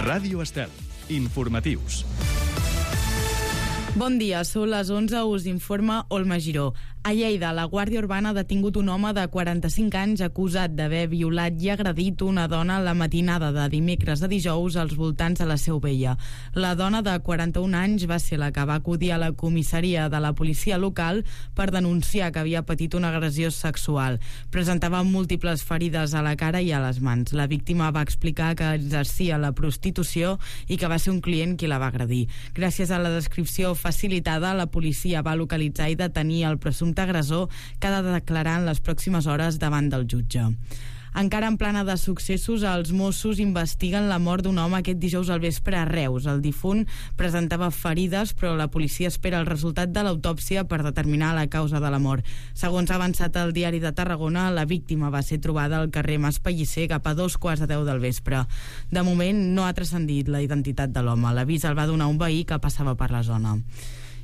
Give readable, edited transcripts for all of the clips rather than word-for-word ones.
Ràdio Estel. Informatius. Bon dia, són les 11, us informa Olma Giró. A Lleida, la Guàrdia Urbana ha detingut un home de 45 anys acusat d'haver violat i agredit una dona la matinada de dimecres a dijous als voltants de la Seu Vella. La dona de 41 anys va ser la que va acudir a la comissaria de la policia local per denunciar que havia patit una agressió sexual. Presentava múltiples ferides a la cara i a les mans. La víctima va explicar que exercia la prostitució i que va ser un client qui la va agredir. Gràcies a la descripció facilitada, la policia va localitzar i detenir el presumpte agressor, que ha de declarar en les pròximes hores davant del jutge. Encara en plana de successos, els Mossos investiguen la mort d'un home aquest dijous al vespre a Reus. El difunt presentava ferides, però la policia espera el resultat de l'autòpsia per determinar la causa de la mort. Segons ha avançat el Diari de Tarragona, la víctima va ser trobada al carrer Mas Pellicer cap a 2:15 del vespre. De moment no ha transcendit la identitat de l'home. L'avís el va donar un veí que passava per la zona.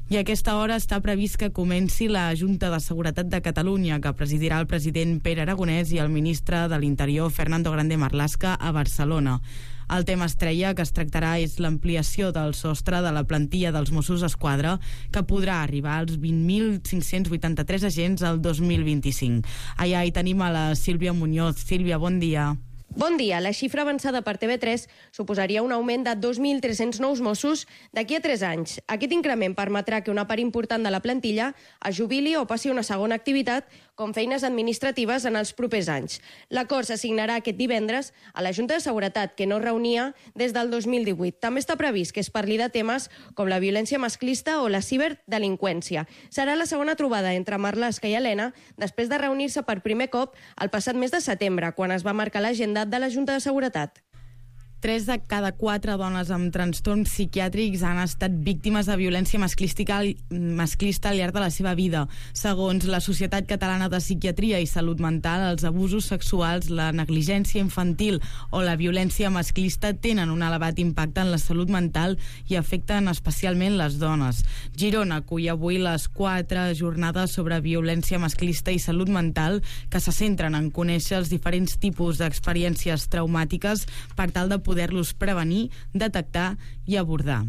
I a aquesta hora està previst que comenci la Junta de Seguretat de Catalunya, que presidirà el president Pere Aragonès i el ministre de l'Interior, Fernando Grande Marlaska, a Barcelona. El tema estrella que es tractarà és l'ampliació del sostre de la plantilla dels Mossos d'Esquadra, que podrà arribar als 20.583 agents el 2025. Allà hi tenim a la Sílvia Muñoz. Sílvia, bon dia. Bon dia. La xifra avançada per TV3 suposaria un augment de 2.300 nous Mossos d'aquí a 3 anys. Aquest increment permetrà que una part important de la plantilla es jubili o passi a una segona activitat, com feines administratives, en els propers anys. L'acord s'assignarà aquest divendres a la Junta de Seguretat, que no es reunia des del 2018. També està previst que es parli de temes com la violència masclista o la ciberdelinqüència. Serà la segona trobada entre Marlaska i Elena després de reunir-se per primer cop el passat mes de setembre, quan es va marcar l'agenda de la Junta de Seguretat. 3 de cada 4 dones amb trastorns psiquiàtrics han estat víctimes de violència masclista al llarg de la seva vida. Segons la Societat Catalana de Psiquiatria i Salut Mental, els abusos sexuals, la negligència infantil o la violència masclista tenen un elevat impacte en la salut mental i afecten especialment les dones. Girona acull avui les 4 jornades sobre violència masclista i salut mental, que se centren en conèixer els diferents tipus d'experiències traumàtiques per tal de poder-los prevenir, detectar i abordar.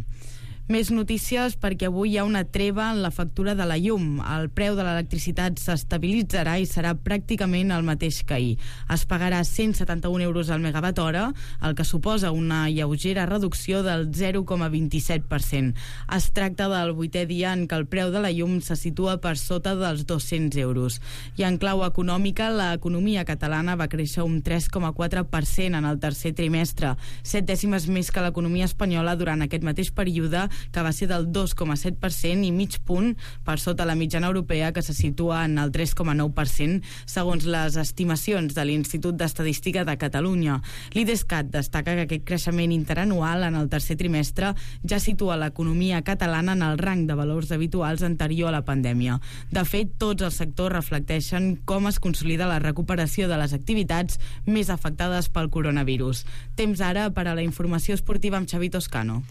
Més notícies, perquè avui hi ha una treva en la factura de la llum. El preu de l'electricitat s'estabilitzarà i serà pràcticament el mateix que ahir. Es pagarà 171 euros al megawatt hora, el que suposa una lleugera reducció del 0,27%. Es tracta del 8è dia en què el preu de la llum se situa per sota dels 200 euros. I en clau econòmica, l'economia catalana va créixer un 3,4% en el tercer trimestre, 7 dècimes més que l'economia espanyola durant aquest mateix període, que va ser del 2,7% i mig punt per sota la mitjana europea, que se situa en el 3,9%, segons les estimacions de l'Institut d'Estadística de Catalunya. L'IDESCAT destaca que aquest creixement interanual en el tercer trimestre ja situa l'economia catalana en el rang de valors habituals anterior a la pandèmia. De fet, tots els sectors reflecteixen com es consolida la recuperació de les activitats més afectades pel coronavirus. Temps ara per a la informació esportiva amb Xavi Toscano.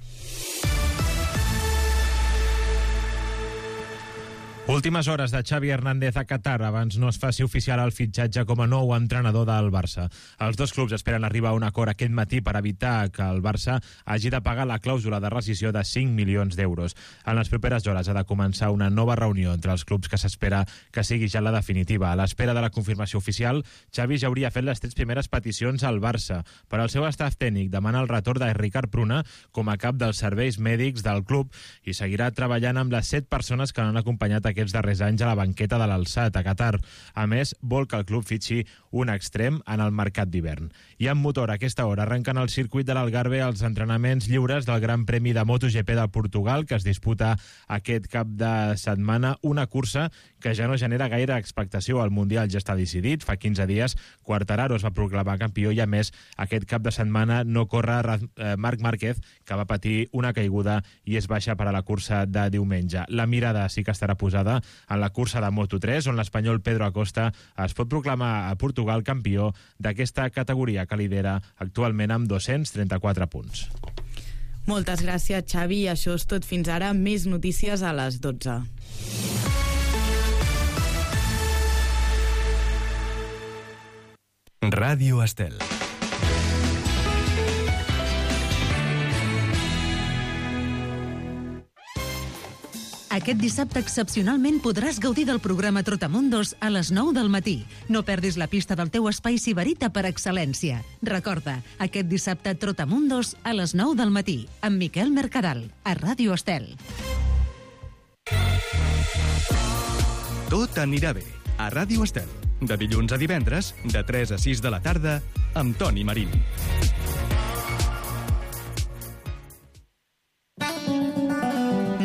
Últimes hores de Xavi Hernández a Qatar abans no es faci oficial el fitxatge com a nou entrenador del Barça. Els dos clubs esperen arribar a un acord aquest matí per evitar que el Barça hagi de pagar la clàusula de rescissió de 5 milions d'euros. En les properes hores ha de començar una nova reunió entre els clubs que s'espera que sigui ja la definitiva. A l'espera de la confirmació oficial, Xavi ja hauria fet les 3 primeres peticions al Barça. Per al seu staff tècnic demana el retorn de Ricard Pruna com a cap dels serveis mèdics del club i seguirà treballant amb les 7 persones que han acompanyat aquests darrers anys a la banqueta de l'Alçat, a Qatar. A més, vol que el club fitxi un extrem en el mercat d'hivern. I amb motor, a aquesta hora arrenquen al circuit de l'Algarve els entrenaments lliures del Gran Premi de MotoGP de Portugal, que es disputa aquest cap de setmana, una cursa que ja no genera gaire expectació. El Mundial ja està decidit. Fa 15 dies Quartararo es va proclamar campió i, a més, aquest cap de setmana no corre Marc Márquez, que va patir una caiguda i és baixa per a la cursa de diumenge. La mirada sí que estarà posada en la cursa de Moto3, on l'espanyol Pedro Acosta es pot proclamar a Portugal campió d'aquesta categoria, que lidera actualment amb 234 punts. Moltes gràcies, Xavi. Això és tot fins ara. Més notícies a les 12. Ràdio Estel. Aquest dissabte excepcionalment podràs gaudir del programa Trotamundos a les 9 del matí. No perdis la pista del teu espai sibarita per excel·lència. Recorda, aquest dissabte Trotamundos a les 9 del matí, amb Miquel Mercadal, a Ràdio Estel. Tot anirà bé, a Ràdio Estel. De dilluns a divendres, de 3 a 6 de la tarda, amb Toni Marín.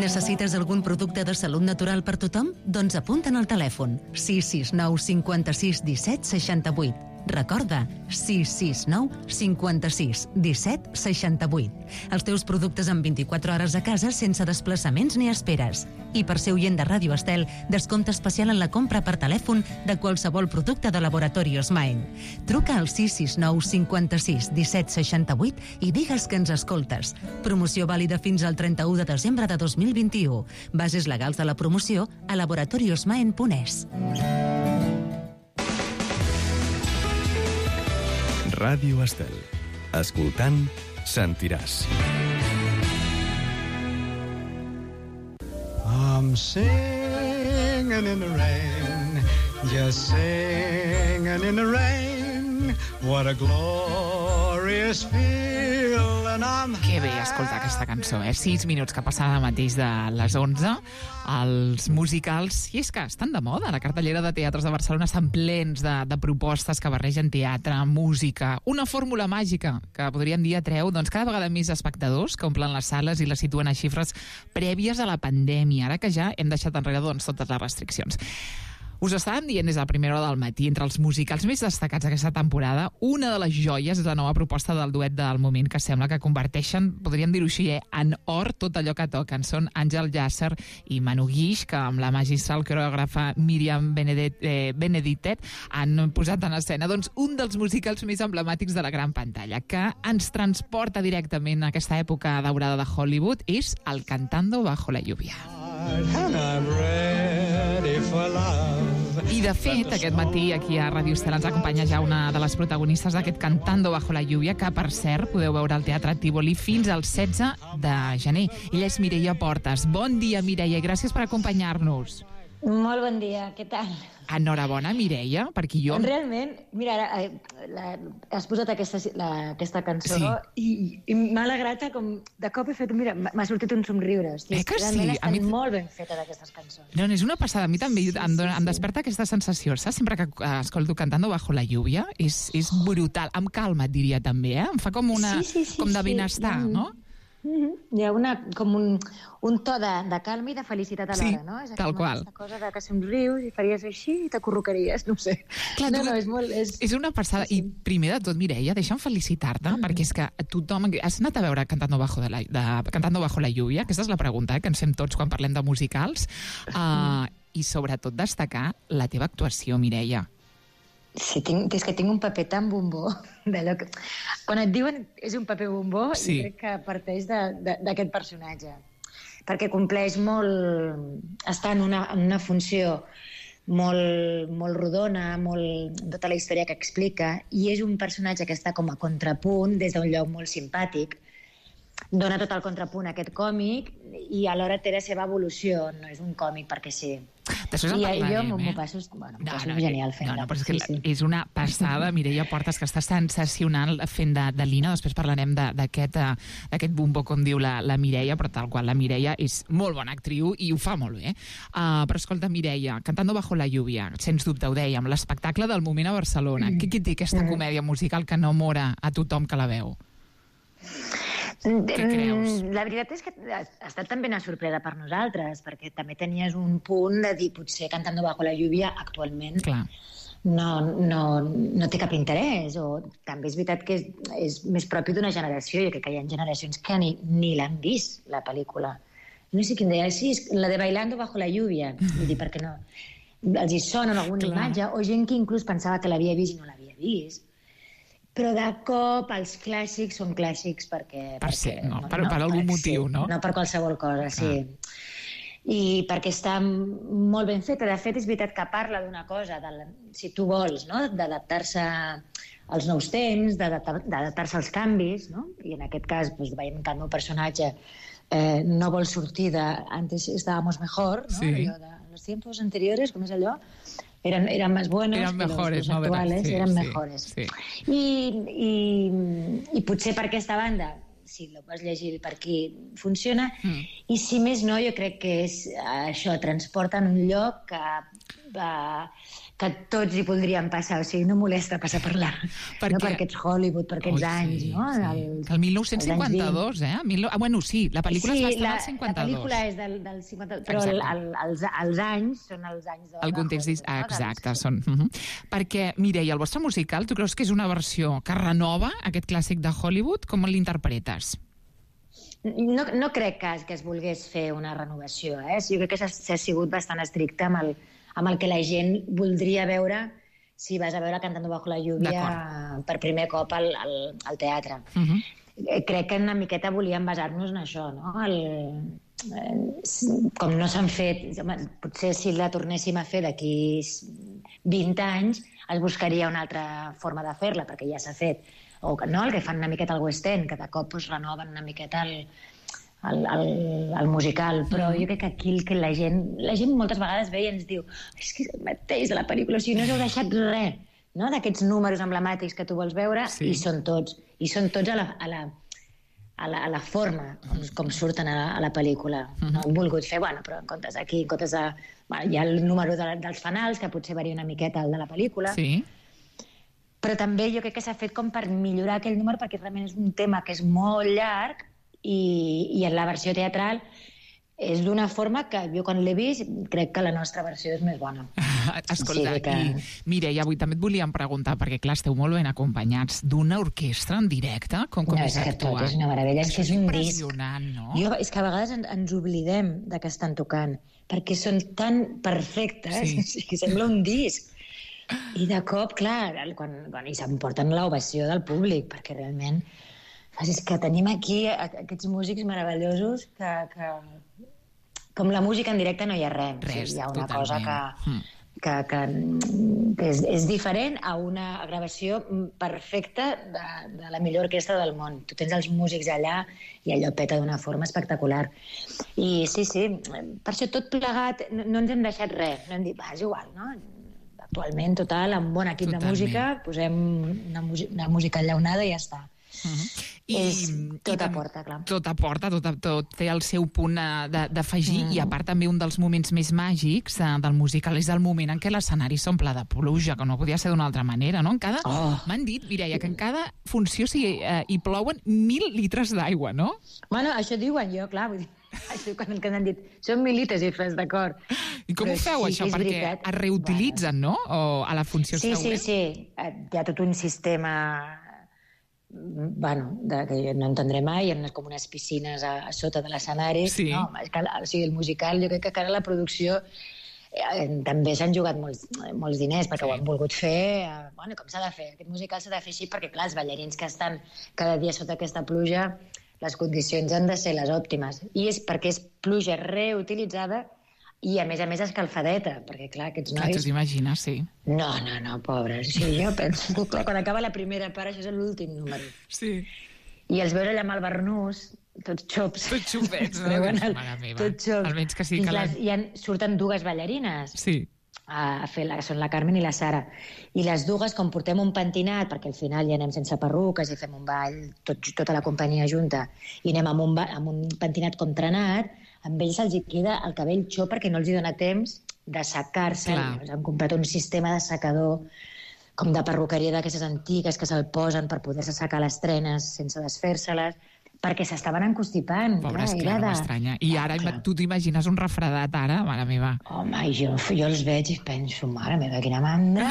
Necessites algun producte de salut natural per tothom? Doncs apunta'n al telèfon 669 56 17 68. Recorda, 669 56 17 68. Els teus productes en 24 hores a casa sense desplaçaments ni esperes. I per ser oient de Ràdio Estel, descompte especial en la compra per telèfon de qualsevol producte de Laboratorios Maen. Truca al 669 56 17 68 i digues que ens escoltes. Promoció vàlida fins al 31 de desembre de 2021. Bases legals de la promoció a laboratoriosmaen.es. Ràdio Estel. Escoltant, sentiràs. I'm singing in the rain, just singing in the rain. What a glorious feel, and I'm Que bé escoltar aquesta cançó, 6 minuts que passen ara mateix de les 11. Els musicals, i és que estan de moda, la cartellera de teatres de Barcelona estan plens de propostes que barregen teatre, música, una fórmula màgica que podríem dir atreu cada vegada més espectadors que omplen les sales i les situen a xifres prèvies a la pandèmia, ara que ja hem deixat enrere totes les restriccions. Us estàvem dient des de la primera hora del matí, entre els musicals més destacats d'aquesta temporada, una de les joies és la nova proposta del duet del moment, que sembla que converteixen, podríem dir-ho així, en or tot allò que toquen. Són Àngel Llàcer i Manu Guix, que amb la magistral coreògrafa Míriam Benedictet han posat en escena un dels musicals més emblemàtics de la gran pantalla, que ens transporta directament a aquesta època daurada de Hollywood, és el Cantando bajo la lluvia. and I'm ready for love. I, de fet, aquest matí aquí a Ràdio Estel ens acompanya ja una de les protagonistes d'aquest Cantando bajo la lluvia, que, per cert, podeu veure al Teatre Tívoli fins al 16 de gener. Ella és Mireia Portes. Bon dia, Mireia, i gràcies per acompanyar-nos. Molt bon dia, què tal? Enhorabona, Mireia, perquè jo... Realment, mira, ara has posat aquesta cançó, sí. i m'ha alegrat com de cop he fet, mira, m'ha sortit un somriure. Que sí? Realment estan molt ben fetes aquestes cançons. No, és una passada. A mi també em desperta aquesta sensació, saps? Sempre que escolto Cantando bajo la lluvia, és brutal. Em calma, et diria també, Em fa com de benestar, no? Hi ha com un to de calma i de felicitat alhora, no? És tal qual. Aquesta cosa de que somrius i faries així i t'acorrocaries, no sé. Clar, és una passada. I primer de tot, Mireia, deixa'm felicitar-te, perquè és que tothom... Has anat a veure Cantando bajo la lluvia? Aquesta és la pregunta que ens fem tots quan parlem de musicals. I sobretot destacar la teva actuació, Mireia. Sí, és que tinc un paper tan bombó. Quan et diuen és un paper bombó, sí. Crec que parteix d'aquest personatge. Perquè compleix molt... Està en una funció molt rodona, tota la història que explica, i és un personatge que està com a contrapunt des d'un lloc molt simpàtic. Dona tot el contrapunt a aquest còmic i alhora té la seva evolució. No és un còmic perquè sí. Després en parlarem, jo m'ho passo genial fent-la. No, però és una passada, Mireia Portes, que està sensacional fent de Lina. Després parlarem d'aquest bombo, com diu la Mireia, però tal qual, la Mireia és molt bona actriu i ho fa molt bé. Però escolta, Mireia, Cantando bajo la lluvia, sens dubte, ho dèiem, l'espectacle del moment a Barcelona. Què té aquesta comèdia musical que enamora a tothom que la veu? Què creus? La veritat és que ha estat també una sorpresa per nosaltres, perquè també tenies un punt de dir, potser Cantando bajo la lluvia actualment no té cap interès, o també és veritat que és més propi d'una generació. Jo crec que hi ha generacions que ni l'han vist, la pel·lícula. No sé quin deia, sí, la de Bailando bajo la lluvia. Vull dir, perquè no? Els hi sona alguna imatge, o gent que inclús pensava que l'havia vist i no l'havia vist. Però de cop els clàssics són clàssics per algun motiu, no? No per qualsevol cosa, sí. I perquè està molt ben feta. De fet, és veritat que parla d'una cosa, si tu vols, no? D'adaptar-se als nous temps, d'adaptar-se als canvis, no? I en aquest cas veiem que el meu personatge no vol sortir de antes estábamos mejor, ¿no? Sí. Allò de los tiempos anteriores, com és allò? Eran más buenos Eran que mejores, los no? actuales, Sí, eran sí, mejores. sí. I potser per aquesta banda, si la vas llegir per aquí, funciona. I si més no, jo crec que és això, transporta en un lloc que tots hi voldríem passar, o sigui, no molesta passar per là, no per aquests Hollywood, per aquests anys, no? Que el 1952, Bueno, sí, la pel·lícula es va estar al 52. La pel·lícula és del 52, però els anys són els anys de... El context és... Exacte, són... Perquè, Mireia, el vostre musical, tu creus que és una versió que renova aquest clàssic de Hollywood? Com l'interpretes? No crec que es volgués fer una renovació, Jo crec que s'ha sigut bastant estricte amb el que la gent voldria veure si vas a veure Cantando bajo la lluvia per primer cop al teatre. Crec que una miqueta volíem basar-nos en això, no? Com no s'han fet... Potser si la tornéssim a fer d'aquí 20 anys es buscaria una altra forma de fer-la, perquè ja s'ha fet. O no, el que fan una miqueta al West End, que de cop renoven una miqueta el musical, però jo crec que aquí que la gent moltes vegades ve i ens diu és que és el mateix de la pel·lícula, o sigui, no us heu deixat res, no?, d'aquests números emblemàtics que tu vols veure, i són tots a la forma com surten a la pel·lícula. No hem volgut fer, però en comptes d'aquí, hi ha el número dels fanals, que potser varia una miqueta el de la pel·lícula, però també jo crec que s'ha fet com per millorar aquell número, perquè realment és un tema que és molt llarg, i en la versió teatral és d'una forma que jo quan l'he vist crec que la nostra versió és més bona. Escolta, Mireia, avui també et volíem preguntar, perquè clar, esteu molt ben acompanyats d'una orquestra en directe, com és actuar. Tot és una meravella, és que és un disc. No? És que a vegades ens oblidem de que estan tocant, perquè són tan perfectes, que sembla un disc. I de cop, clar, i s'emporten l'ovació del públic, perquè realment és que tenim aquí aquests músics meravellosos que com la música en directe no hi ha res. Hi ha una cosa que és diferent a una gravació perfecta de la millor orquestra del món. Tu tens els músics allà i allò peta d'una forma espectacular. I sí, per això tot plegat no ens hem deixat res. No hem dit, és igual, no? Actualment, total, amb un bon equip de música, posem una música enllaunada i ja està. Tot aporta, clar. Tot aporta, tot té el seu punt d'afegir, i a part també un dels moments més màgics del musical és el moment en què l'escenari s'omple de pluja, que no podia ser d'una altra manera, no? M'han dit, Mireia, que en cada funció hi plouen 1.000 litres d'aigua, no? Bueno, això diuen jo, clar, vull dir, això quan han dit, són 1.000 litres i fes, d'acord. I com ho feu, això? Perquè es reutilitzen, no? O a la funció següent? Sí. Hi ha tot un sistema... que no entendré mai, hi ha com unes piscines a sota de l'escenari. No? O sigui, el musical, jo crec que ara la producció també s'han jugat molts diners, perquè ho han volgut fer, com s'ha de fer? Aquest musical s'ha de fer així perquè, clar, els ballarins que estan cada dia sota aquesta pluja, les condicions han de ser les òptimes. I és perquè és pluja reutilitzada i, a més escalfadeta, perquè, clar, aquests nois... Clar, tu t'imagines, sí. No, pobres. Sí, jo penso que, clar, quan acaba la primera part, això és l'últim número. Sí. I els veure allà amb el barnús, tots xops. Tots xopets, no? Mare meva. Tots xops. Almenys que sí que surten dues ballarines. Sí. A fer, són la Carmen i la Sara. I les dues, com portem un pentinat, perquè al final ja anem sense perruques i fem un ball, tota la companyia junta, i anem amb un pentinat com trenat, amb ells se'ls queda el cabell xop perquè no els hi dona temps de secar-se. Han comprat un sistema de secador com de perruqueria d'aquestes antigues que se'l posen per poder-se secar les trenes sense desfer-se-les, perquè s'estaven encostipant. Pobres, clar, no m'estranya. I ara tu t'imagines un refredat ara, mare meva. Home, jo els veig i penso, mare meva, quina mandra.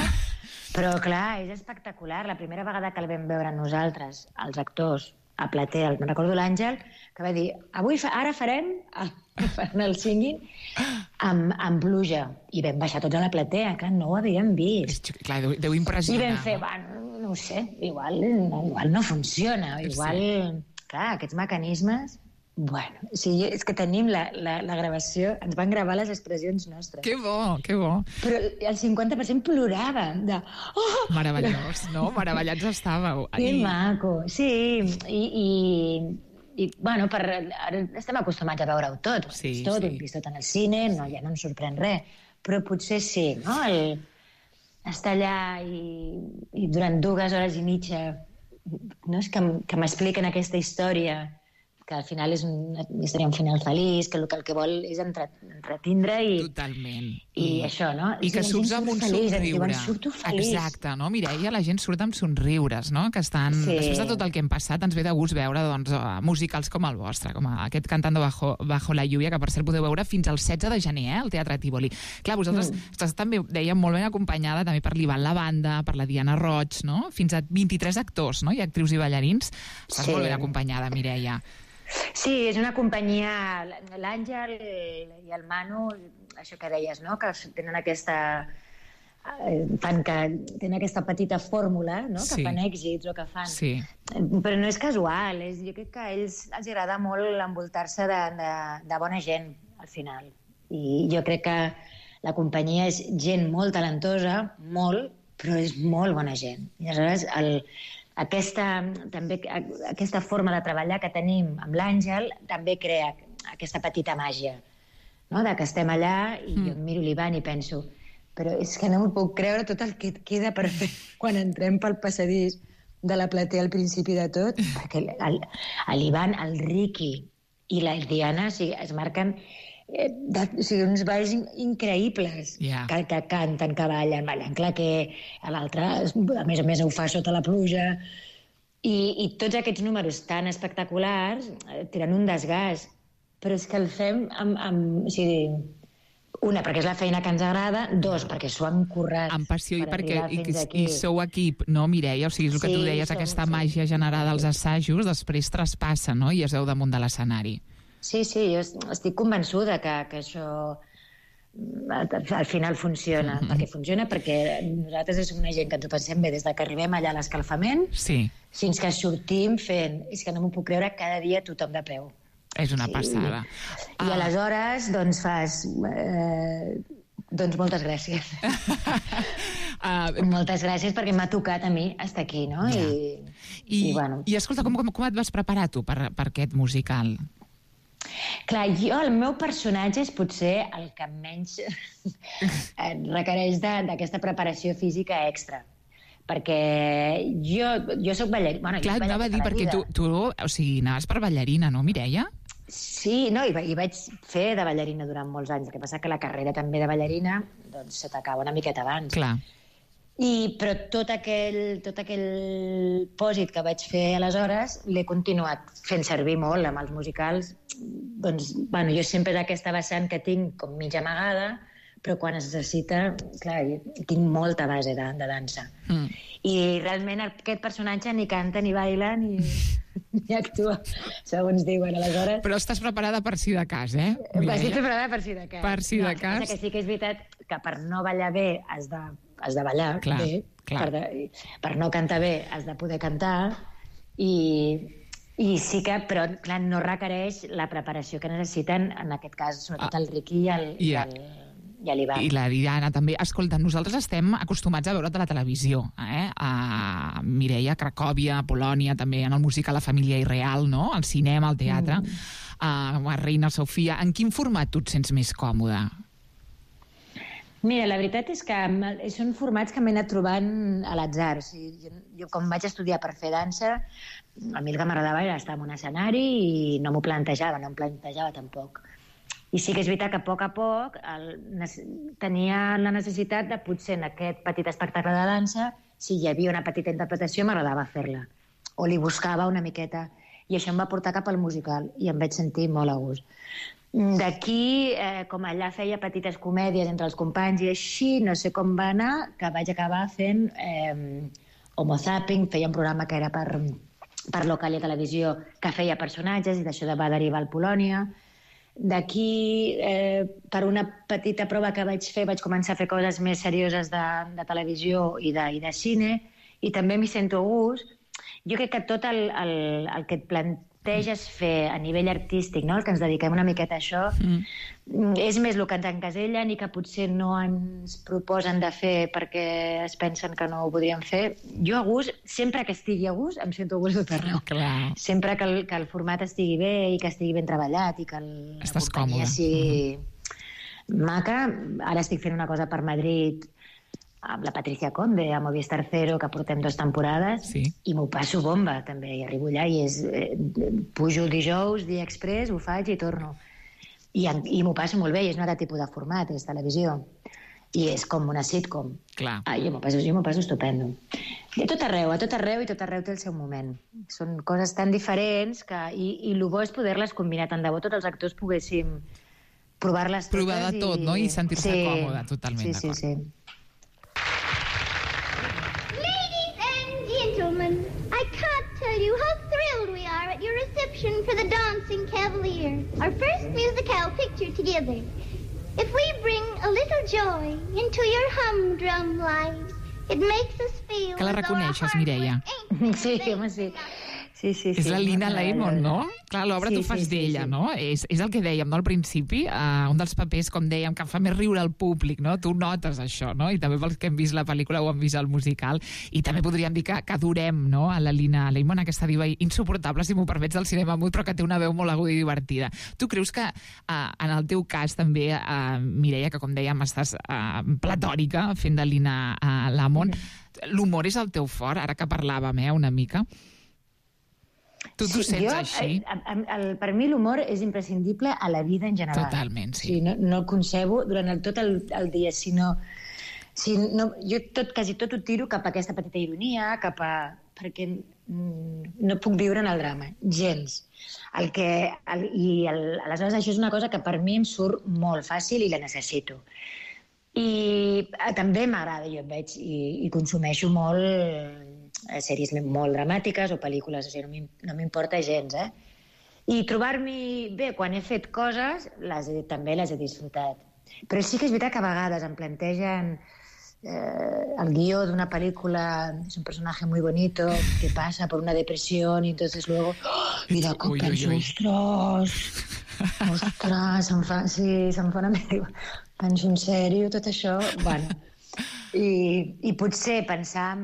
Però clar, és espectacular. La primera vegada que el vam veure nosaltres, els actors, a platea, me'n recordo l'Àngel, que va dir, ara farem el singing amb pluja. I vam baixar tots a la platea, clar, no ho havíem vist. Clar, deu impressionar. I vam fer, no ho sé, igual no funciona, igual... Clar, aquests mecanismes... Bueno, és que tenim la gravació, ens van gravar les expressions nostres. Que bo, que bo. Però el 50% plorava. Meravellós, no? Meravellats estàveu. Que maco, sí. I bueno, ara estem acostumats a veure-ho tot. Sí, tot, sí. Ho hem vist tot en el cine, ja no ens sorprèn res. Però potser sí, no? Estar allà i durant 2 hores i mitja, no? És que m'expliquen aquesta història, que al final és una història un final feliç, que el que vol és entretindre i... Totalment. I això, no? I que surts amb un somriure. Surto feliç. Exacte, no, Mireia? La gent surt amb somriures, no? Que estan... Sí. Després de tot el que hem passat, ens ve de gust veure doncs, musicals com el vostre, com aquest Cantando bajo la lluvia, que per cert podeu veure fins al 16 de gener, al Teatre Tívoli. Clar, vosaltres estàs també, dèiem, molt ben acompanyada també per l'Ivan La Banda, per la Diana Roig, no? Fins a 23 actors, no? I actrius i ballarins. Estàs molt ben acompanyada, Mireia. Sí, és una companyia, l'Àngel i el Manu, això que deies, no? Que tenen aquesta petita fórmula, no? Que fan èxits o que fan. Sí. Però no és casual, jo crec que a ells els agrada molt envoltar-se de bona gent, al final. I jo crec que la companyia és gent molt talentosa, molt, però és molt bona gent. I aleshores, aquesta forma de treballar que tenim amb l'Àngel també crea aquesta petita màgia, no? De que estem allà i jo miro l'Ivan i penso, però és que no m'ho puc creure tot el que et queda per fer quan entrem pel passadís de la platea al principi de tot, perquè l'Ivan, el Ricky i la Diana es marquen uns balls increïbles, que canten, que ballen claqué, l'altre, a més ho fa sota la pluja, i tots aquests números tan espectaculars tenen un desgast, però és que el fem amb una, perquè és la feina que ens agrada, 2, perquè s'ho han currat. Amb passió i perquè sou equip, no, Mireia? O sigui, és el que tu deies, aquesta màgia generada als assajos, després traspassa, no?, i es veu damunt de l'escenari. Sí, jo estic convençuda que això al final funciona. Perquè funciona perquè nosaltres som una gent que ens ho pensem bé des que arribem allà a l'escalfament fins que sortim fent... És que no m'ho puc creure, cada dia tothom de peu. És una passada. I aleshores, doncs, fas... Doncs moltes gràcies. Moltes gràcies perquè m'ha tocat a mi estar aquí, no? I escolta, com et vas preparar tu per aquest musical? Clar, el meu personatge és potser el que menys requereix d'aquesta preparació física extra. Perquè jo soc ballarina. Clar, anava a dir, perquè tu anaves per ballarina, no, Mireia? Sí, no, i vaig fer de ballarina durant molts anys. El que passa que la carrera també de ballarina doncs se t'acaba una miqueta abans. Clar. Però tot aquell pòsit que vaig fer aleshores l'he continuat fent servir molt amb els musicals. Doncs, bueno, jo sempre d'aquesta vessant que tinc com mig amagada, però quan es necessita, clar, tinc molta base de dansa. I realment aquest personatge ni canta, ni baila, ni actua, segons diuen, aleshores. Però estàs preparada per si de cas, eh? Estic preparada per si de cas. Per si de cas. Que sí que és veritat que per no ballar bé has de ballar bé, per no cantar bé has de poder cantar, i sí que, però clar, no requereix la preparació que necessiten, en aquest cas, sobretot el Ricky i l'Ivan. I la Diana també. Escolta, nosaltres estem acostumats a veure't a la televisió, a Mireia, a Cracòvia, a Polònia, també en el musical La família irreal, no? Al cinema, al teatre, a Reina Sofia. En quin format tu et sents més còmode? Mira, la veritat és que són formats que m'he anat trobant a l'atzar. Jo, quan vaig estudiar per fer dansa, a mi el que m'agradava era estar en un escenari i no m'ho plantejava, no em plantejava tampoc. I sí que és veritat que a poc tenia la necessitat de potser en aquest petit espectacle de dansa, si hi havia una petita interpretació, m'agradava fer-la. O li buscava una miqueta. I això em va portar cap al musical i em vaig sentir molt a gust. D'aquí, com allà feia petites comèdies entre els companys i així, no sé com va anar, que vaig acabar fent Homo Zapping, feia un programa que era per Localia Televisió, que feia personatges, i d'això va derivar al Polònia. D'aquí, per una petita prova que vaig fer, vaig començar a fer coses més serioses de televisió i de cine, i també m'hi sento a gust. Jo crec que tot el que et planteges fer a nivell artístic, no? El que ens dediquem una miqueta a això, és més el que ens encasellen i que potser no ens proposen de fer perquè es pensen que no ho podríem fer. Jo a gust, sempre que estigui a gust, em sento a gust de tot arreu. Clar. Sempre que el format estigui bé i que estigui ben treballat i que la companyia sigui maca. Ara estic fent una cosa per Madrid amb la Patricia Conde, a Movistar Cero, que portem 2 temporades, i m'ho passo bomba, també. I arribo allà i pujo el dijous, dia express, ho faig i torno. I m'ho passo molt bé, i és un altre tipus de format, és televisió. I és com una sitcom. Clar. Jo m'ho passo estupendo. A tot arreu, i tot arreu té el seu moment. Són coses tan diferents que... I el bo és poder-les combinar. Tant de bo tots els actors poguéssim provar-les totes. Provar de tot, no? I sentir-se còmode, totalment d'acord. Sí. I can't tell you how thrilled we are at your reception for the Dancing Cavalier, our first musical picture together. If we bring a little joy into your humdrum lives, it makes us feel... Que la reconeixes, Mireia? Sí, home, sí. Sí. És la Lina Lemon, no? Clar, l'obra tu fas d'ella, no? És el que dèiem, no?, al principi, un dels papers, com dèiem, que fa més riure al públic, no? Tu notes això, no? I també pels que hem vist la pel·lícula o han vist el musical. I també podríem dir que adorem, no?, a la Lina Lemon, aquesta diva insuportable, si m'ho permets, del cinema mut, però que té una veu molt aguda i divertida. Tu creus que, en el teu cas, també, Mireia, que com dèiem, estàs platòrica fent de Lina Lemon, l'humor és el teu fort, ara que parlàvem, una mica? Tu t'ho sents així? Per mi l'humor és imprescindible a la vida en general. Totalment, sí. No el concebo durant tot el dia, sinó... Jo quasi tot ho tiro cap a aquesta petita ironia, perquè no puc viure en el drama, gens. Aleshores això és una cosa que per mi em surt molt fàcil i la necessito. I també m'agrada, jo veig i consumeixo molt sèries molt dramàtiques o pel·lícules, o sigui, no m'importa gens, I trobar-m'hi bé quan he fet coses, també les he disfrutat. Però sí que és veritat que a vegades em plantegen el guió d'una pel·lícula, és un personatge muy bonito que passa per una depressió i entonces luego, mira com penso, ostres, se'm fa una mica... Penso en sèrio, tot això, bueno... I potser pensar...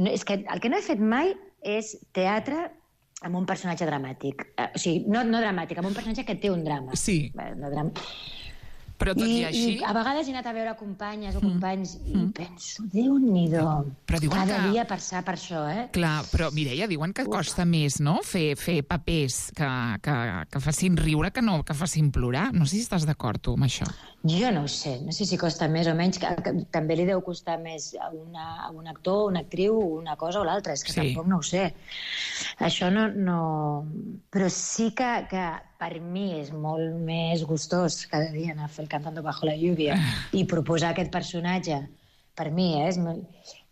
És que el que no he fet mai és teatre amb un personatge dramàtic. O sigui, no dramàtic, amb un personatge que té un drama. Sí. Però tot i així... I a vegades he anat a veure companyes o companys i penso, Déu-n'hi-do, cada dia passar per això, Clar, però Mireia, diuen que costa més, no?, fer papers que facin riure que no que facin plorar. No sé si estàs d'acord, tu, amb això. Jo no ho sé, no sé si costa més o menys, que també li deu costar més a un actor, una actriu, una cosa o l'altra, és que tampoc no ho sé. Això no... Però sí que per mi és molt més gustós cada dia anar a fer el Cantando bajo la lluvia i proposar aquest personatge, per mi,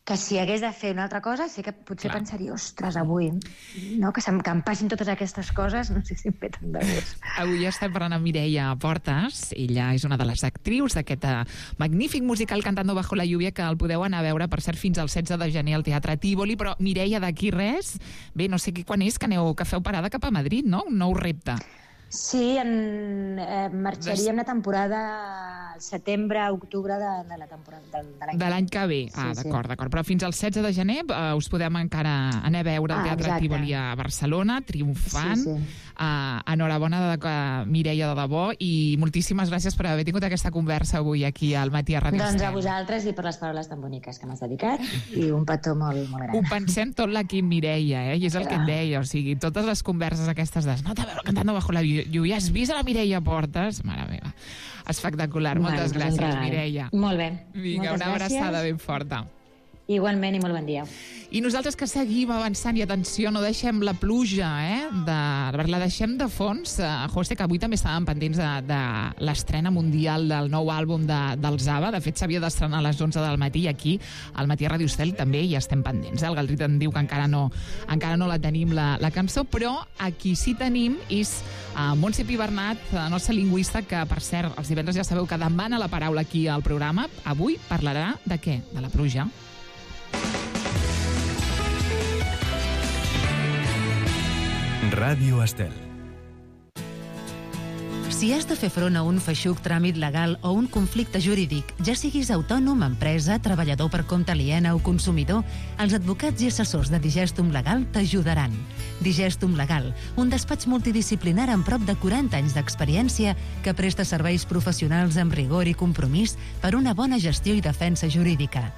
que si hagués de fer una altra cosa, sí que potser pensaria, ostres, avui, no? Que em passin totes aquestes coses, no sé si em ve tant de gust. Avui estem parlant amb Mireia Portes. Ella és una de les actrius d'aquest magnífic musical Cantando bajo la lluvia, que el podeu anar a veure, per cert, fins al 16 de gener al Teatre Tívoli. Però, Mireia, d'aquí res, bé, no sé quan és que feu parada cap a Madrid, no? Un nou repte. Sí, marxaríem la temporada al setembre, octubre de la temporada de l'any que ve. D'acord. Però fins al 16 de gener us podem encara anar a veure al Teatre Tívoli a Barcelona, triomfant. Enhorabona, Mireia, de debò, i moltíssimes gràcies per haver tingut aquesta conversa avui aquí al Matí a Ràdio Estel. Doncs a vosaltres i per les paraules tan boniques que m'has dedicat, i un petó molt, molt gran. Ho pensem tot l'equip, Mireia, i és el que et deia, o sigui, totes les converses aquestes no, a veure, Cantando bajo la lluvia, has vist a la Mireia Portes? Mare meva, espectacular. Moltes gràcies, Mireia. Molt bé. Vinga, una abraçada ben forta. Igualment, i molt bon dia. I nosaltres que seguim avançant, i atenció, no deixem la pluja, la deixem de fons. José, que avui també estàvem pendents de l'estrena mundial del nou àlbum dels ABBA. De fet, s'havia d'estrenar a les 11 del matí, i aquí, al Matí a Ràdio Estel, també hi estem pendents. El Galdrit em diu que encara no la tenim, la cançó, però aquí sí tenim és Montse Pibernat, la nostra lingüista, que, per cert, els divendres ja sabeu que demana la paraula aquí al programa. Avui parlarà de què? De la pluja. Ràdio Estel. Si has de fer front a un feixuc tràmit legal o un conflicte jurídic, ja siguis autònom, empresa, treballador per compte aliena o consumidor, els advocats i assessors de Digestum Legal t'ajudaran. Digestum Legal, un despatx multidisciplinar amb prop de 40 anys d'experiència que presta serveis professionals amb rigor i compromís per una bona gestió i defensa jurídica.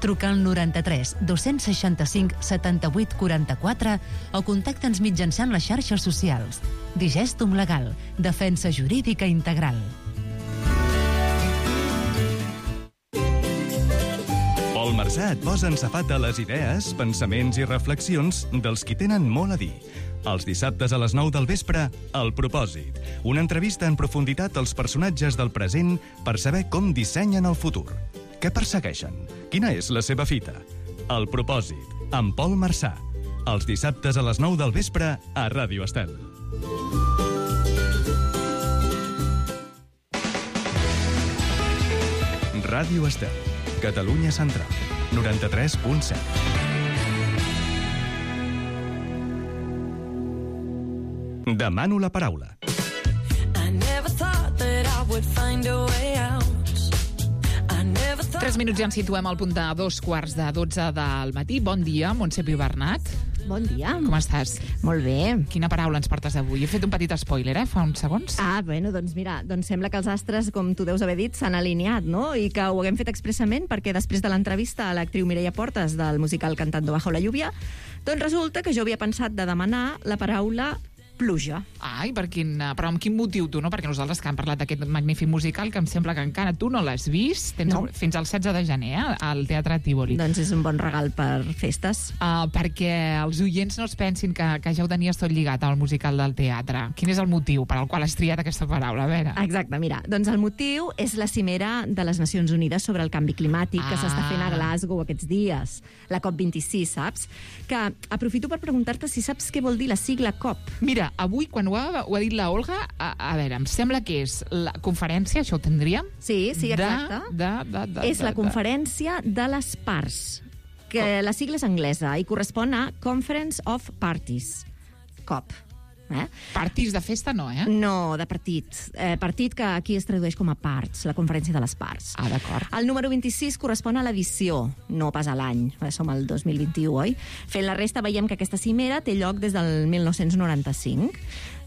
Truca al 93 265 78 44 o contacta'ns mitjançant les xarxes socials. Digestum Legal, defensa jurídica integral. Pol Marsà et posa en safata les idees, pensaments i reflexions dels qui tenen molt a dir. Els dissabtes a les 9 del vespre, El Propòsit. Una entrevista en profunditat als personatges del present per saber com dissenyen el futur. Què persegueixen? Quina és la seva fita? El Propòsit, amb Pol Marsà. Els dissabtes a les 9 del vespre a Ràdio Estel. Ràdio Estel, Catalunya Central, 93.7. Demano la paraula. 3 minuts ja ens situem al punt de 2:45 del matí. Bon dia, Montse Pibernat. Bon dia. Com estàs? Molt bé. Quina paraula ens portes avui? He fet un petit spoiler, fa uns segons. Bueno, doncs mira, sembla que els astres, com tu deus haver dit, s'han alineat, no? I que ho haguem fet expressament perquè després de l'entrevista a l'actriu Mireia Portes del musical Cantando bajo la lluvia, doncs resulta que jo havia pensat de demanar la paraula pluja. Ai, però amb quin motiu tu, no? Perquè nosaltres que hem parlat d'aquest magnífic musical que em sembla que encara tu no l'has vist, tens fins al 16 de gener al Teatre Tívoli. Doncs és un bon regal per festes. Perquè els oients no es pensin que ja ho tenies tot lligat al musical del teatre. Quin és el motiu per al qual has triat aquesta paraula? A veure. Exacte, mira, doncs el motiu és la cimera de les Nacions Unides sobre el canvi climàtic que s'està fent a Glasgow aquests dies, la COP26, saps? Que aprofito per preguntar-te si saps què vol dir la sigla COP. Mira, avui, quan ho ha dit la Olga, a veure, em sembla que és la conferència, això ho tindríem? Sí, exacte. És la conferència de les parts, que la sigla és anglesa i correspon a Conference of Parties, COP. Parties de festa no, No, de partit. Partit que aquí es tradueix com a parts, la conferència de les parts. D'acord. El número 26 correspon a l'edició, no pas a l'any. Som al 2021, oi? Fent la resta veiem que aquesta cimera té lloc des del 1995.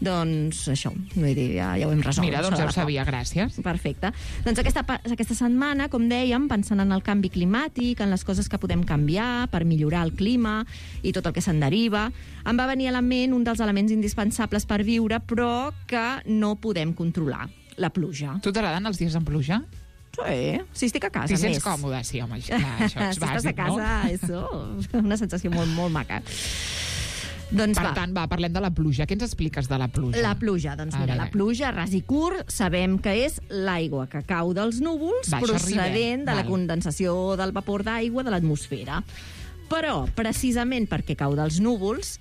Doncs això, vull dir, ja ho hem resolt. Mira, doncs ja ho sabia, gràcies. Perfecte. Doncs aquesta setmana, com dèiem, pensant en el canvi climàtic, en les coses que podem canviar per millorar el clima i tot el que se'n deriva, em va venir a la ment un dels elements indispensables per viure, però que no podem controlar, la pluja. Tu t'agraden els dies amb pluja? Sí, si estic a casa, més. Si sents còmode, sí, home, això és bàsic, no? Si estàs a casa, és una sensació molt, molt maca. Doncs per tant, parlem de la pluja. Què ens expliques de la pluja? La pluja, doncs mira, la pluja, ras i curt, sabem que és l'aigua que cau dels núvols procedent de la condensació del vapor d'aigua de l'atmosfera. Però, precisament perquè cau dels núvols,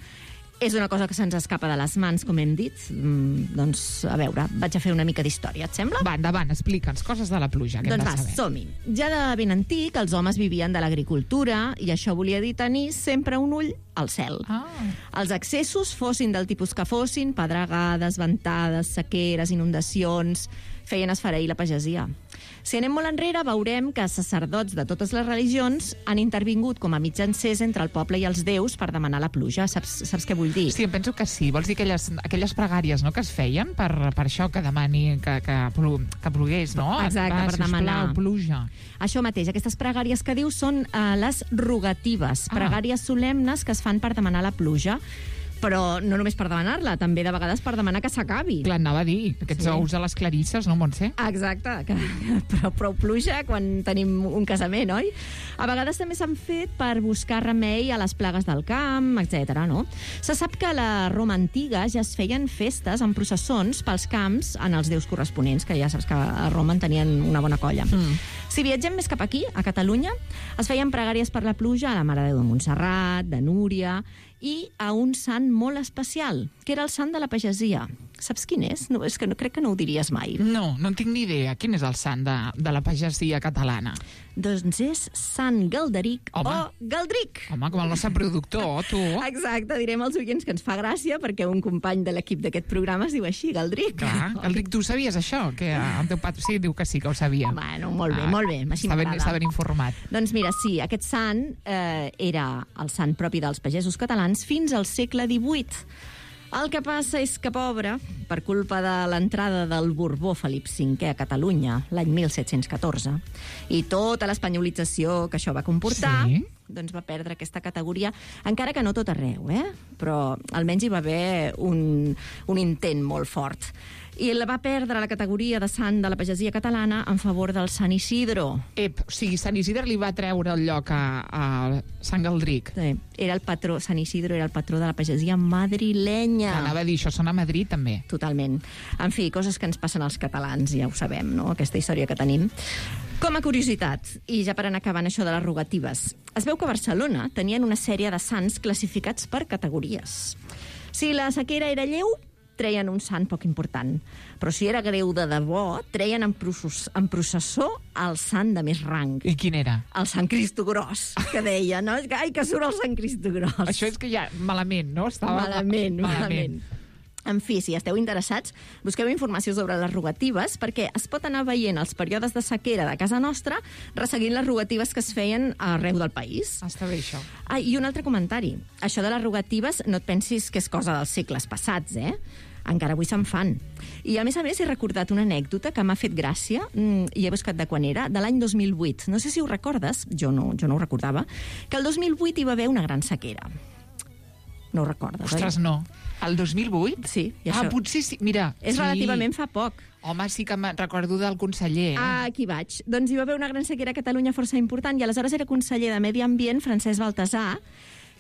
és una cosa que se'ns escapa de les mans, com hem dit. Doncs, a veure, vaig a fer una mica d'història, et sembla? Va, endavant, explica'ns coses de la pluja. Doncs som-hi. Ja de ben antic, els homes vivien de l'agricultura i això volia dir tenir sempre un ull al cel. Els excessos, fossin del tipus que fossin, pedregades, ventades, sequeres, inundacions, feien esfereir la pagesia. Si anem molt enrere, veurem que sacerdots de totes les religions han intervingut com a mitjancers entre el poble i els déus per demanar la pluja. Saps què vull dir? Sí, em penso que sí. Vols dir aquelles pregàries, no?, que es feien per això, que demani que plogués, no? Exacte, per demanar. Sisplau, pluja. Això mateix, aquestes pregàries que dius són les rogatives, pregàries solemnes que es fan per demanar la pluja. Però no només per demanar-la, també de vegades per demanar que s'acabi. Clar, anava a dir, aquests ous a les clarisses, no, Montse? Exacte, però prou pluja quan tenim un casament, oi? A vegades també s'han fet per buscar remei a les plagues del camp, etc. no? Se sap que a la Roma antiga ja es feien festes amb processons pels camps en els déus corresponents, que ja saps que a Roma en tenien una bona colla. Si viatgem més cap aquí, a Catalunya, es feien pregàries per la pluja a la Mare de Déu de Montserrat, de Núria, i a un sant molt especial, que era el sant de la pagesia, Saps quin és? No, és que no, crec que no ho diries mai. No en tinc ni idea. Quin és el sant de la pagesia catalana? Doncs és Sant Galderic o Galdric. Home, com el nostre productor, tu. Exacte, direm als oients que ens fa gràcia perquè un company de l'equip d'aquest programa es diu així, Galdric. Clar, Galdric, tu sabies això? Que el teu pare... Sí, diu que sí, que ho sabia. Bueno, molt bé, així m'agrada. Està ben informat. Doncs mira, sí, aquest sant era el sant propi dels pagesos catalans fins al segle XVIII. El que passa és que, pobre, per culpa de l'entrada del Borbó Felip V a Catalunya l'any 1714 i tota l'espanyolització que això va comportar, doncs va perdre aquesta categoria, encara que no tot arreu, però almenys hi va haver un intent molt fort. I la va perdre la categoria de sant de la pagesia catalana en favor del Sant Isidro. O sigui, Sant Isidre li va treure el lloc a Sant Galdric. Sí, era el patró, Sant Isidro era el patró de la pagesia madrilenya. Anava a dir, això sona a Madrid, també. Totalment. En fi, coses que ens passen als catalans, ja ho sabem, no?, aquesta història que tenim. Com a curiositat, i ja per anar acabant això de les rogatives, es veu que a Barcelona tenien una sèrie de sants classificats per categories. Si la sequera era lleu, treien un sant poc important. Però si era greu de debò, treien en processó el sant de més rang. I quin era? El Sant Cristo Gros, que deia, no? Ai, que surt el Sant Cristo Gros. Això és que ja, malament, no? Estava Malament. En fi, si esteu interessats, busqueu informació sobre les rogatives perquè es pot anar veient els períodes de sequera de casa nostra resseguint les rogatives que es feien arreu del país. Està bé, això. I un altre comentari. Això de les rogatives no et pensis que és cosa dels segles passats, Encara avui se'n fan. I, a més, he recordat una anècdota que m'ha fet gràcia, i he buscat de quan era, de l'any 2008. No sé si ho recordes, jo no ho recordava, que el 2008 hi va haver una gran sequera. No ho recordes, Ostres, oi? no. El 2008? Sí. I això... potser sí. Mira, és relativament fa poc. Home, sí que me'n recordo del conseller. Aquí vaig. Doncs hi va haver una gran sequera a Catalunya força important i aleshores era conseller de Medi Ambient, Francesc Baltasar,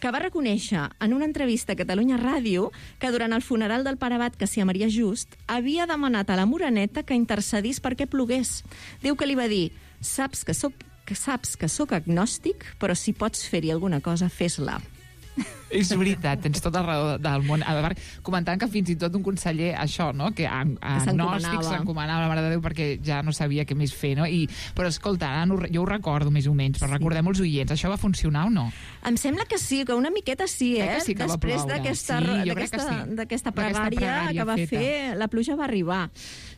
que va reconèixer en una entrevista a Catalunya Ràdio que durant el funeral del pare abat Cassià Maria Just havia demanat a la Moreneta que intercedís perquè plogués. Diu que li va dir: saps que sóc agnòstic, però si pots fer-hi alguna cosa, fes-la. És veritat, tens tota la raó del món. A veure, comentant que fins i tot un conseller, això, no?, que agnòstic s'encomanava a la Mare de Déu perquè ja no sabia què més fer, no? Però escolta, jo ho recordo més o menys, però recordem els oients, això va funcionar o no? Em sembla que sí, que una miqueta sí, Que sí que després d'aquesta d'aquesta pregària que va fer, la pluja va arribar.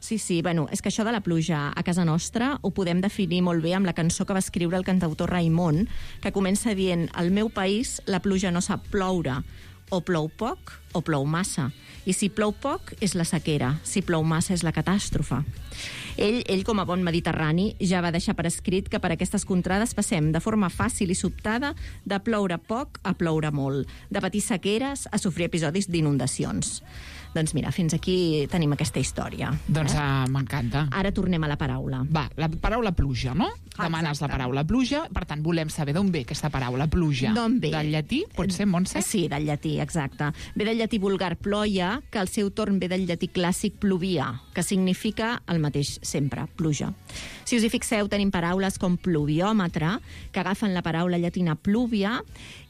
Sí, bueno, és que això de la pluja a casa nostra ho podem definir molt bé amb la cançó que va escriure el cantautor Raimon, que comença dient: al meu país la pluja no sap ploure, o plou poc o plou massa. I si plou poc és la sequera, si plou massa és la catàstrofe. Ell, com a bon mediterrani, ja va deixar per escrit que per aquestes contrades passem de forma fàcil i sobtada de ploure poc a ploure molt, de patir sequeres a sofrir episodis d'inundacions. Doncs mira, fins aquí tenim aquesta història. Doncs m'encanta. Ara tornem a la paraula. Va, la paraula pluja, no? Demanes la paraula pluja, per tant, volem saber d'on ve aquesta paraula pluja. D'on ve? Del llatí, pot ser, Montse? Sí, del llatí, exacte. Ve del llatí vulgar ploia, que al seu torn ve del llatí clàssic pluvia, que significa el mateix sempre, pluja. Si us hi fixeu, tenim paraules com pluviòmetre, que agafen la paraula llatina pluvia,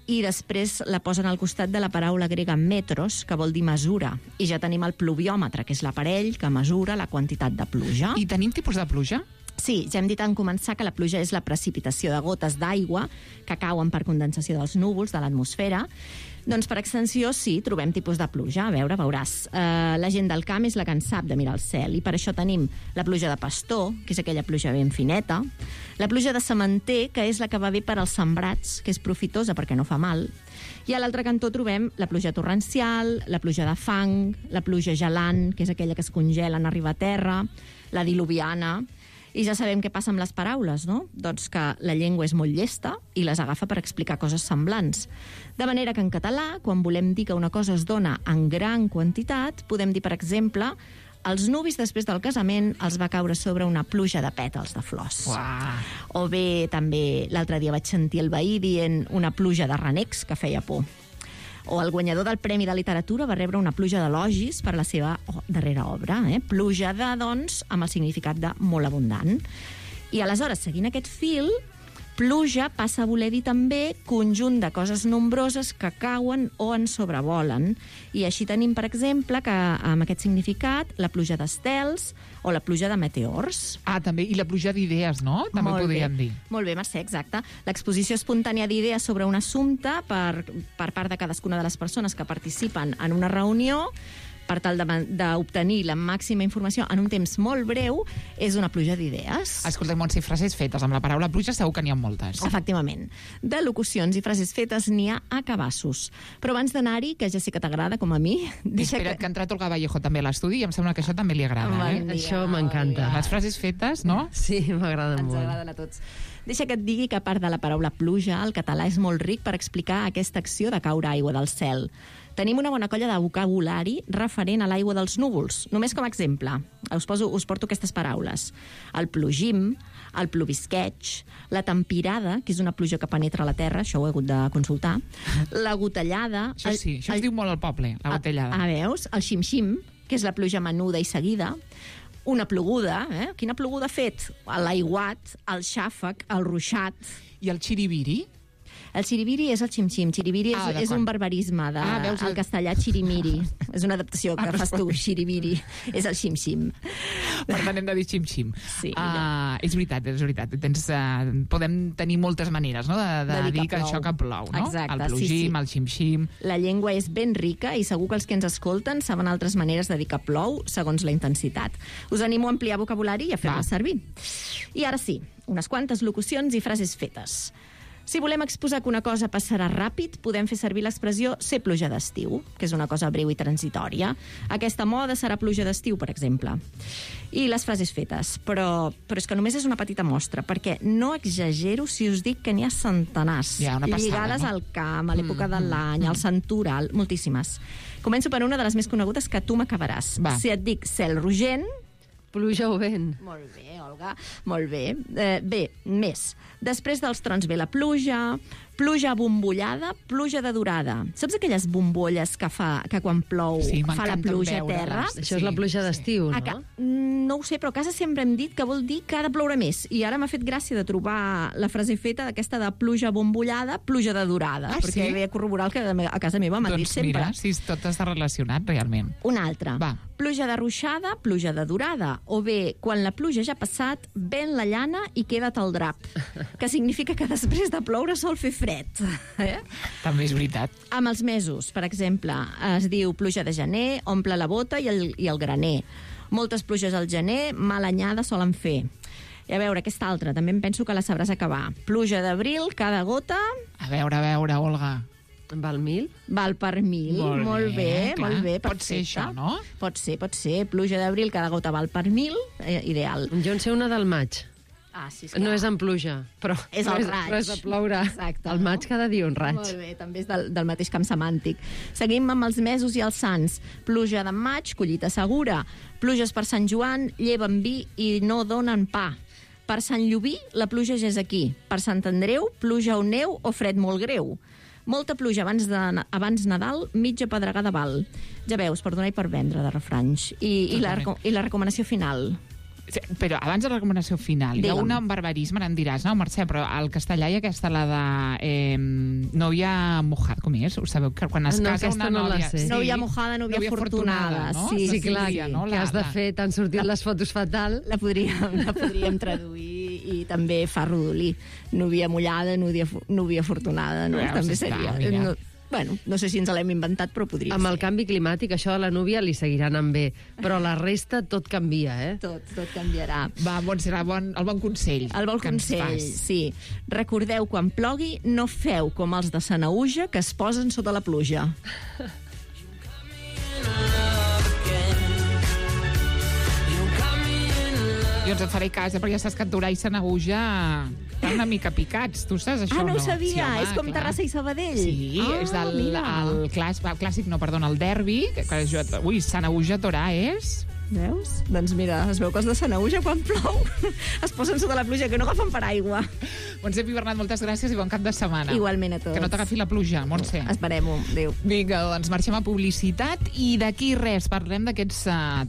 i després la posen al costat de la paraula grega metros, que vol dir mesura. I ja tenim el pluviòmetre, que és l'aparell que mesura la quantitat de pluja. I tenim tipus de pluja? Sí, ja hem dit en començar que la pluja és la precipitació de gotes d'aigua que cauen per condensació dels núvols de l'atmosfera. Doncs per extensió sí, trobem tipus de pluja. A veure, veuràs. La gent del camp és la que en sap de mirar el cel i per això tenim la pluja de pastor, que és aquella pluja ben fineta, la pluja de sementer, que és la que va bé per als sembrats, que és profitosa perquè no fa mal, i a l'altre cantó trobem la pluja torrencial, la pluja de fang, la pluja gelant, que és aquella que es congela en arribar a terra, la diluviana. I ja sabem què passa amb les paraules, no? Doncs que la llengua és molt llesta i les agafa per explicar coses semblants. De manera que en català, quan volem dir que una cosa es dona en gran quantitat, podem dir, per exemple, els nuvis després del casament els va caure sobre una pluja de pètals de flors. Uah. O bé, també, l'altre dia vaig sentir el veí dient una pluja de renecs que feia por. O el guanyador del Premi de Literatura va rebre una pluja d'elogis per la seva darrera obra. Pluja de, doncs, amb el significat de molt abundant. I aleshores, seguint aquest fil, Pluja passa a voler dir també conjunt de coses nombroses que cauen o en sobrevolen. I així tenim, per exemple, que amb aquest significat, la pluja d'estels o la pluja de meteors. També, i la pluja d'idees, no? També podríem dir. Molt bé, Mercè, exacte. L'exposició espontània d'idees sobre un assumpte per part de cadascuna de les persones que participen en una reunió per tal d'obtenir la màxima informació en un temps molt breu, és una pluja d'idees. Escolta, Montse, frases fetes. Amb la paraula pluja segur que n'hi ha moltes. Efectivament. De locucions i frases fetes n'hi ha a cabassos. Però abans d'anar-hi, que ja sé que t'agrada, com a mi... Espera't, que ha entrat Olga Vallejo també a l'estudi i em sembla que això també li agrada. Això m'encanta. Les frases fetes, no? Sí, m'agraden molt. Ens agraden a tots. Deixa que et digui que a part de la paraula pluja, el català és molt ric per explicar aquesta acció de caure aigua del cel. Tenim una bona colla de vocabulari referent a l'aigua dels núvols. Només com a exemple, us porto aquestes paraules. El plogim, el plovisqueig, la tempirada, que és una pluja que penetra a la terra, això ho he hagut de consultar, la gotellada... Això sí, això es diu molt al poble, la gotellada. Veus? El xim-xim, que és la pluja menuda i seguida, una ploguda, Quina ploguda ha fet? L'aiguat, el xàfec, el ruixat... I el xiribiri? El xiribiri és el xim-xim. Xiribiri és un barbarisme del castellà xirimiri. És una adaptació que fas tu, xiribiri. És el xim-xim. Per tant, hem de dir xim-xim. Sí. És veritat. Podem tenir moltes maneres, no?, de dir que això que plou, no? Exacte, el plogim, el xim-xim... La llengua és ben rica i segur que els que ens escolten saben altres maneres de dir que plou segons la intensitat. Us animo a ampliar vocabulari i a fer-la servir. I ara sí, unes quantes locucions i frases fetes. Si volem exposar que una cosa passarà ràpid, podem fer servir l'expressió ser pluja d'estiu, que és una cosa breu i transitòria. Aquesta moda serà pluja d'estiu, per exemple. I les frases fetes. Però és que només és una petita mostra, perquè no exagero si us dic que n'hi ha centenars. Lligades al camp, a l'època de l'any, al santoral, moltíssimes. Començo per una de les més conegudes que tu m'acabaràs. Si et dic cel rogent... Pluja o vent. Molt bé, Olga, molt bé. Bé, més. Després dels trons ve la pluja, pluja bombollada, pluja de durada. Saps aquelles bombolles que fa que quan plou fa la pluja a terra? Això és la pluja d'estiu, no? No ho sé, però a casa sempre hem dit que vol dir que ha de ploure més. I ara m'ha fet gràcia de trobar la frase feta d'aquesta de pluja bombollada, pluja de durada. Perquè ve a corroborar el que a casa meva m'han dit sempre. Doncs mira, si tot està relacionat, realment. Una altra. Pluja de ruixada, pluja de durada. O bé, quan la pluja ja ha passat, ven la llana i queda't el drap. Que significa que després de ploure sol fer fred. També és veritat. Amb els mesos, per exemple, es diu pluja de gener, omple la bota i el graner. Moltes pluges al gener, mala anyada solen fer. I a veure, aquesta altra, també em penso que la sabràs acabar. Pluja d'abril, cada gota... A veure, Olga... Val 1000? Val per 1000, molt bé, Pot ser això, no? Pot ser. Pluja d'abril, cada gota val per 1000, ideal. Jo en sé una del maig. Sí, no és en pluja, però és el raig. Però és de ploure. Exacte, el maig cada dia un raig. Molt bé, també és del mateix camp semàntic. Seguim amb els mesos i els sants. Pluja de maig, collita segura. Pluges per Sant Joan, lleven vi i no donen pa. Per Sant Llobí, la pluja ja és aquí. Per Sant Andreu, pluja o neu o fred molt greu. Molta pluja abans Nadal, mitja pedregada val. Ja veus, per donar i per vendre de refranys. I la recomanació final. Però abans de la recomanació final, hi ha un barbarisme, ara em diràs, no, Mercè, però al castellà hi ha aquesta, la de novia mojada, com és? Ho sabeu, que quan es casa una nòvia... Novia mojada, novia fortunada. No? Sí, clar, que has de fer, t'han sortit les fotos fatal. La podríem traduir i també fa rodolí. Novia mullada, novia fortunada, no? També seria... Bueno, no sé si ens l'hem inventat, però podria ser. Amb el canvi climàtic, això de la núvia li seguirà anant bé, però la resta tot canvia, Tot canviarà. Va, serà el bon consell. El bon consell, sí. Recordeu, quan plogui, no feu com els de Sanaüja, que es posen sota la pluja. Jo ens en faré cas, perquè ja saps que Torà i Sanaüja estan una mica picats. Tu saps això, no? No ho sabia. Sí, és com Terrassa i Sabadell. Sí, és el clàssic, no, perdona, el derbi. Ui, Sanaüja Torà és... Veus? Doncs mira, es veu que els de Sanaüja quan plou es posen sota la pluja, que no agafen paraigua. Montse Pi Bernat, moltes gràcies i bon cap de setmana. Igualment a tots. Que no t'agafi la pluja, Montse. Esperem-ho. Adéu. Vinga, doncs marxem a publicitat i d'aquí res, parlem d'aquests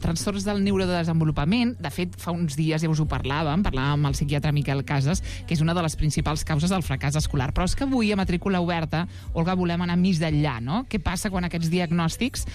trastorns del neurodesenvolupament. De fet, fa uns dies ja us ho parlàvem amb el psiquiatre Miquel Casas, que és una de les principals causes del fracàs escolar. Però és que avui, a matrícula oberta, Olga, volem anar més enllà, no? Què passa quan aquests diagnòstics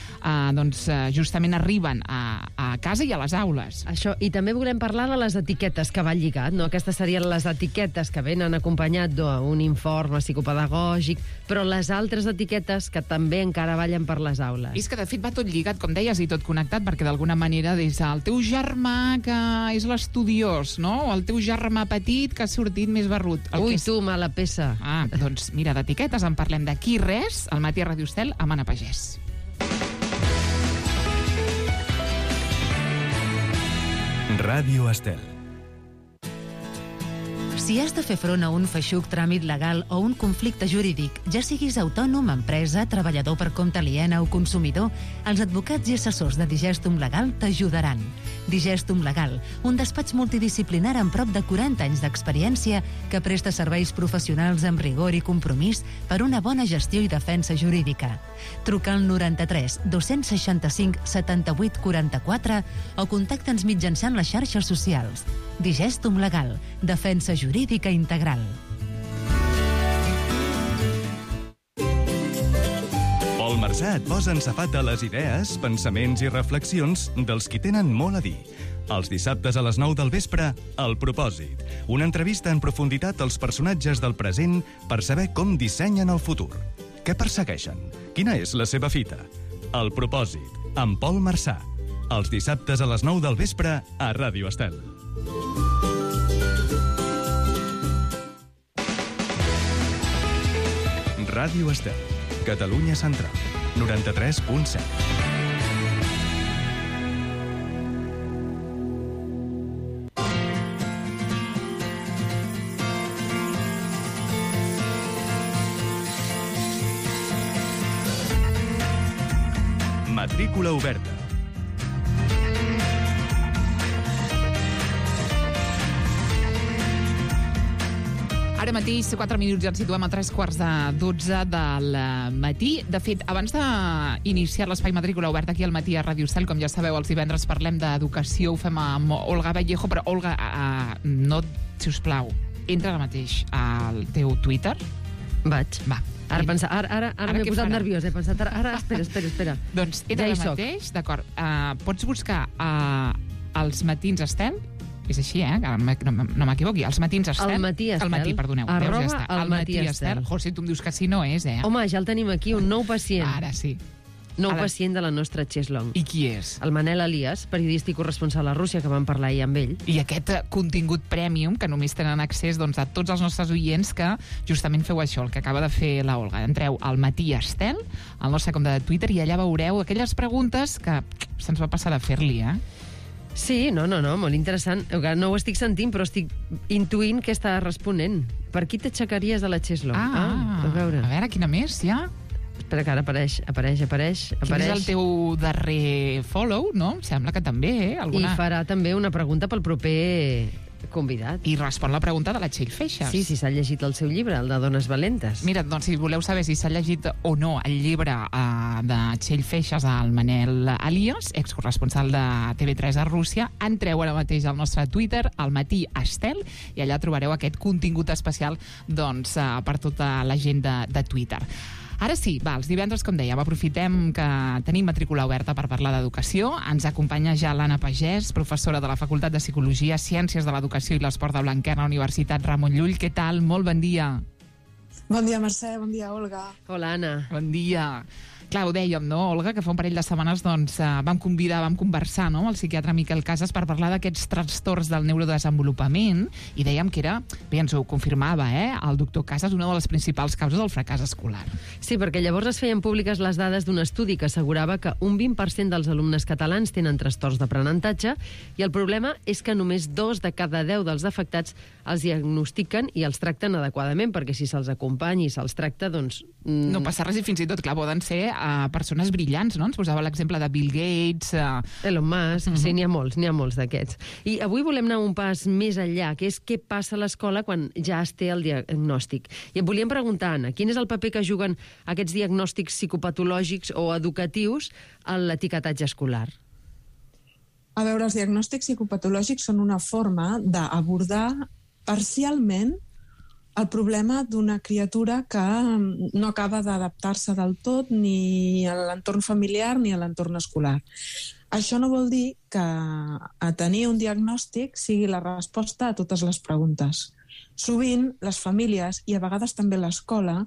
justament arriben a casa i a les aules? Això, i també volem parlar de les etiquetes que va lligat, no? Aquestes serien les etiquetes que venen acompanyat d'un informe psicopedagògic, però les altres etiquetes que també encara ballen per les aules. I és que, de fet, va tot lligat, com deies, i tot connectat, perquè d'alguna manera des del teu germà, que és l'estudiós, no? O el teu germà petit, que ha sortit més barrut. Ui, tu, mala peça. Doncs mira, d'etiquetes en parlem d'aquí res, al matí a Ràdio Estel, amb Anna Pagès. Ràdio Estel. Si has de fer front a un feixuc tràmit legal o un conflicte jurídic, ja siguis autònom, empresa, treballador per compte aliena o consumidor, els advocats i assessors de Digestum Legal t'ajudaran. Digestum Legal, un despatx multidisciplinar amb prop de 40 anys d'experiència que presta serveis professionals amb rigor i compromís per una bona gestió i defensa jurídica. Truca al 93 265 78 44 o contacta'ns mitjançant les xarxes socials. Digestum Legal, defensa jurídica integral. Pol Marsà et posa en safata les idees, pensaments i reflexions dels qui tenen molt a dir. Els dissabtes a les 9 del vespre, El Propòsit. Una entrevista en profunditat als personatges del present per saber com dissenyen el futur. Què persegueixen? Quina és la seva fita? El Propòsit, amb Pol Marsà. Els dissabtes a les 9 del vespre a Ràdio Estel. Ràdio Estel, Catalunya Central, 93.7. Matrícula oberta. Ara mateix, 4 minuts, ens situem a 3:15 del matí. De fet, abans d'iniciar l'espai Matrícula oberta aquí al matí a Ràdio Estel, com ja sabeu, els divendres parlem d'educació, ho fem amb Olga Vallejo, però Olga, si us plau, entra ara mateix al teu Twitter. Vaig. Va. Ara m'he posat nerviós, he pensat, ara, espera. Doncs entra ara mateix, d'acord. Pots buscar els matins Estel, és així, no m'equivoqui, els matins Estel. El matí Estel. El matí, perdoneu. Arroba ja el matí Estel. José, tu em dius que sí no és, Home, ja el tenim aquí, un nou pacient. Ara sí. Pacient de la nostra Cheslong. I qui és? El Manel Elias, periodista i corresponsal a Rússia, que vam parlar ahir amb ell. I aquest contingut premium, que només tenen accés a tots els nostres oients que justament feu això, el que acaba de fer la Olga. Entreu al matí Estel, al nostre compte de Twitter, i allà veureu aquelles preguntes que se'ns va passar a fer-li, Sí, no, molt interessant. No ho estic sentint, però estic intuint què està responent. Per qui t'aixecaries de la Cheslong? A veure, quina més, ja? Espera, que ara apareix. Quin és el teu darrer follow, no? Em sembla que també, I farà també una pregunta pel proper convidat. I respon la pregunta de la Txell Feixas. Sí, si s'ha llegit el seu llibre, el de Dones Valentes. Mira, doncs si voleu saber si s'ha llegit o no el llibre de Txell Feixas al Manel Elias, excorresponsal de TV3 a Rússia, entreu ara mateix al nostre Twitter, al matí Estel, i allà trobareu aquest contingut especial per tota la gent de Twitter. Ara sí, els divendres, com dèiem, aprofitem que tenim matrícula oberta per parlar d'educació. Ens acompanya ja l'Anna Pagès, professora de la Facultat de Psicologia, Ciències de l'Educació i l'Esport de Blanquerna a la Universitat Ramon Llull. Què tal? Molt bon dia. Bon dia, Mercè. Bon dia, Olga. Hola, Anna. Bon dia. Clar, ho dèiem, no, Olga, que fa un parell de setmanes vam conversar amb el psiquiatre Miquel Casas per parlar d'aquests trastorns del neurodesenvolupament i dèiem que era, bé, ens ho confirmava, el doctor Casas, una de les principals causes del fracàs escolar. Sí, perquè llavors es feien públiques les dades d'un estudi que assegurava que un 20% dels alumnes catalans tenen trastorns d'aprenentatge i el problema és que només 2 de cada 10 dels afectats els diagnostiquen i els tracten adequadament, perquè si se'ls acompanya i se'ls tracta, doncs... No passa res i fins i tot, clar, poden ser persones brillants, no? Ens posava l'exemple de Bill Gates... Elon Musk, sí, n'hi ha molts d'aquests. I avui volem anar un pas més enllà, que és què passa a l'escola quan ja es té el diagnòstic. I et volíem preguntar, Anna, quin és el paper que juguen aquests diagnòstics psicopatològics o educatius a l'etiquetatge escolar? A veure, els diagnòstics psicopatològics són una forma d'abordar parcialment el problema d'una criatura que no acaba d'adaptar-se del tot ni a l'entorn familiar ni a l'entorn escolar. Això no vol dir que tenir un diagnòstic sigui la resposta a totes les preguntes. Sovint, les famílies, i a vegades també l'escola,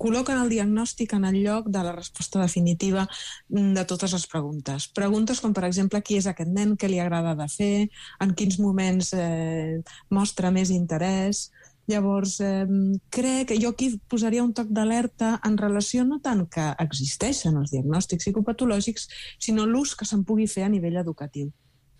col·loquen el diagnòstic en el lloc de la resposta definitiva de totes les preguntes. Preguntes com, per exemple, qui és aquest nen, què li agrada de fer, en quins moments mostra més interès. Llavors, crec que jo aquí posaria un toc d'alerta en relació no tant que existeixen els diagnòstics psicopatològics, sinó l'ús que se'n pugui fer a nivell educatiu.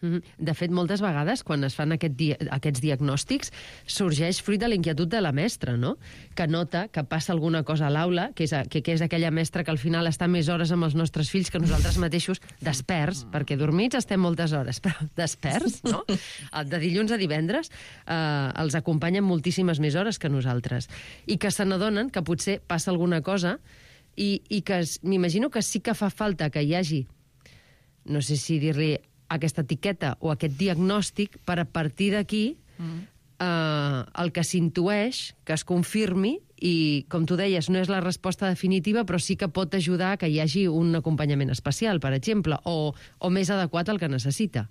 De fet, moltes vegades, quan es fan aquests diagnòstics, sorgeix fruit de la inquietud de la mestra, no? Que nota que passa alguna cosa a l'aula, que és aquella mestra que al final està més hores amb els nostres fills que nosaltres mateixos, desperts, perquè dormits estem moltes hores, però desperts, no? De dilluns a divendres els acompanyen moltíssimes més hores que nosaltres. I que se n'adonen que potser passa alguna cosa i que m'imagino que sí que fa falta que hi hagi, no sé si dir-li aquesta etiqueta o aquest diagnòstic per a partir d'aquí el que s'intueix, que es confirmi i, com tu deies, no és la resposta definitiva, però sí que pot ajudar que hi hagi un acompanyament especial, per exemple, o més adequat al que necessita.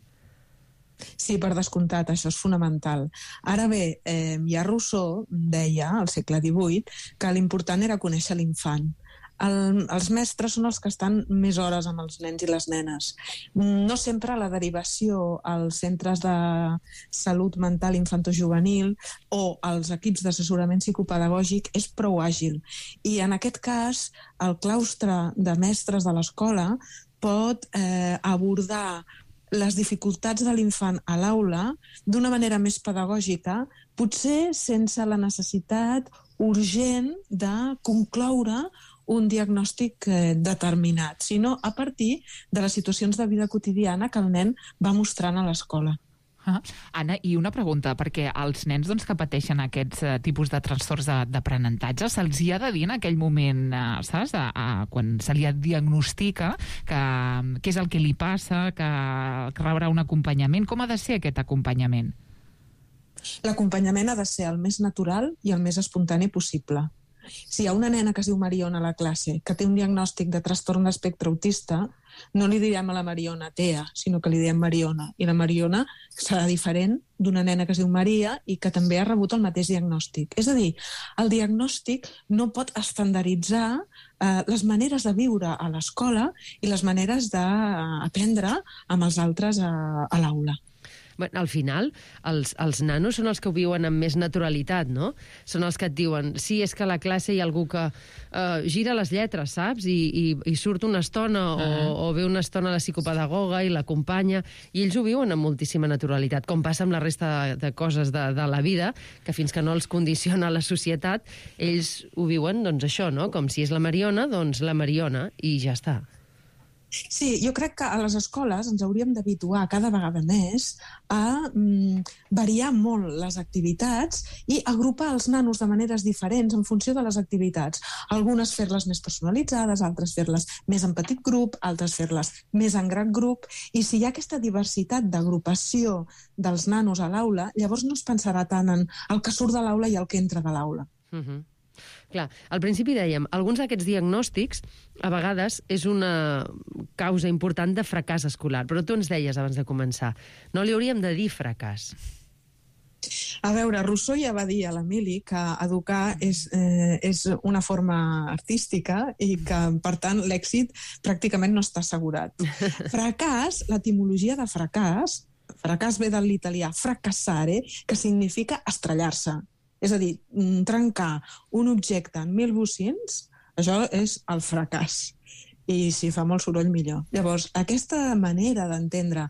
Sí, per descomptat, això és fonamental. Ara bé, ja Rousseau deia, al segle XVIII, que l'important era conèixer l'infant. Els mestres són els que estan més hores amb els nens i les nenes. No sempre la derivació als centres de salut mental infantojuvenil o als equips d'assessorament psicopedagògic és prou àgil. I en aquest cas, el claustre de mestres de l'escola pot abordar les dificultats de l'infant a l'aula d'una manera més pedagògica, potser sense la necessitat urgent de concloure un diagnòstic determinat, sinó a partir de les situacions de vida quotidiana que el nen va mostrant a l'escola. Anna, i una pregunta, perquè als nens que pateixen aquests tipus de trastorns d'aprenentatge se'ls hi ha de dir en aquell moment, saps, quan se li diagnostica què és el que li passa, que rebrà un acompanyament. Com ha de ser aquest acompanyament? L'acompanyament ha de ser el més natural i el més espontani possible. Si hi ha una nena que es diu Mariona a la classe que té un diagnòstic de trastorn d'espectre autista, no li direm a la Mariona Tea, sinó que li direm Mariona. I la Mariona serà diferent d'una nena que es diu Maria i que també ha rebut el mateix diagnòstic. És a dir, el diagnòstic no pot estandarditzar les maneres de viure a l'escola i les maneres d'aprendre amb els altres a l'aula. Al final, els nanos són els que ho viuen amb més naturalitat, no? Són els que et diuen, sí, és que a la classe hi ha algú que gira les lletres, saps? I surt una estona o ve una estona la psicopedagoga i l'acompanya, i ells ho viuen amb moltíssima naturalitat, com passa amb la resta de coses de la vida, que fins que no els condiciona la societat, ells ho viuen, doncs això, no? Com si és la Mariona, doncs la Mariona, i ja està. Sí, jo crec que a les escoles ens hauríem d'habituar cada vegada més a variar molt les activitats i agrupar els nanos de maneres diferents en funció de les activitats. Algunes fer-les més personalitzades, altres fer-les més en petit grup, altres fer-les més en gran grup. I si hi ha aquesta diversitat d'agrupació dels nanos a l'aula, llavors no es pensarà tant en el que surt de l'aula i el que entra de l'aula. Clar, al principi dèiem, alguns d'aquests diagnòstics a vegades és una causa important de fracàs escolar, però tu ens deies abans de començar, no li hauríem de dir fracàs. A veure, Rousseau ja va dir a l'Emili que educar és una forma artística i que, per tant, l'èxit pràcticament no està assegurat. Fracàs, l'etimologia de fracàs ve de l'italià fracassare, que significa estrellar-se. És a dir, trencar un objecte en 1000 bocins, això és el fracàs. i si fa molt soroll millor. Llavors, aquesta manera d'entendre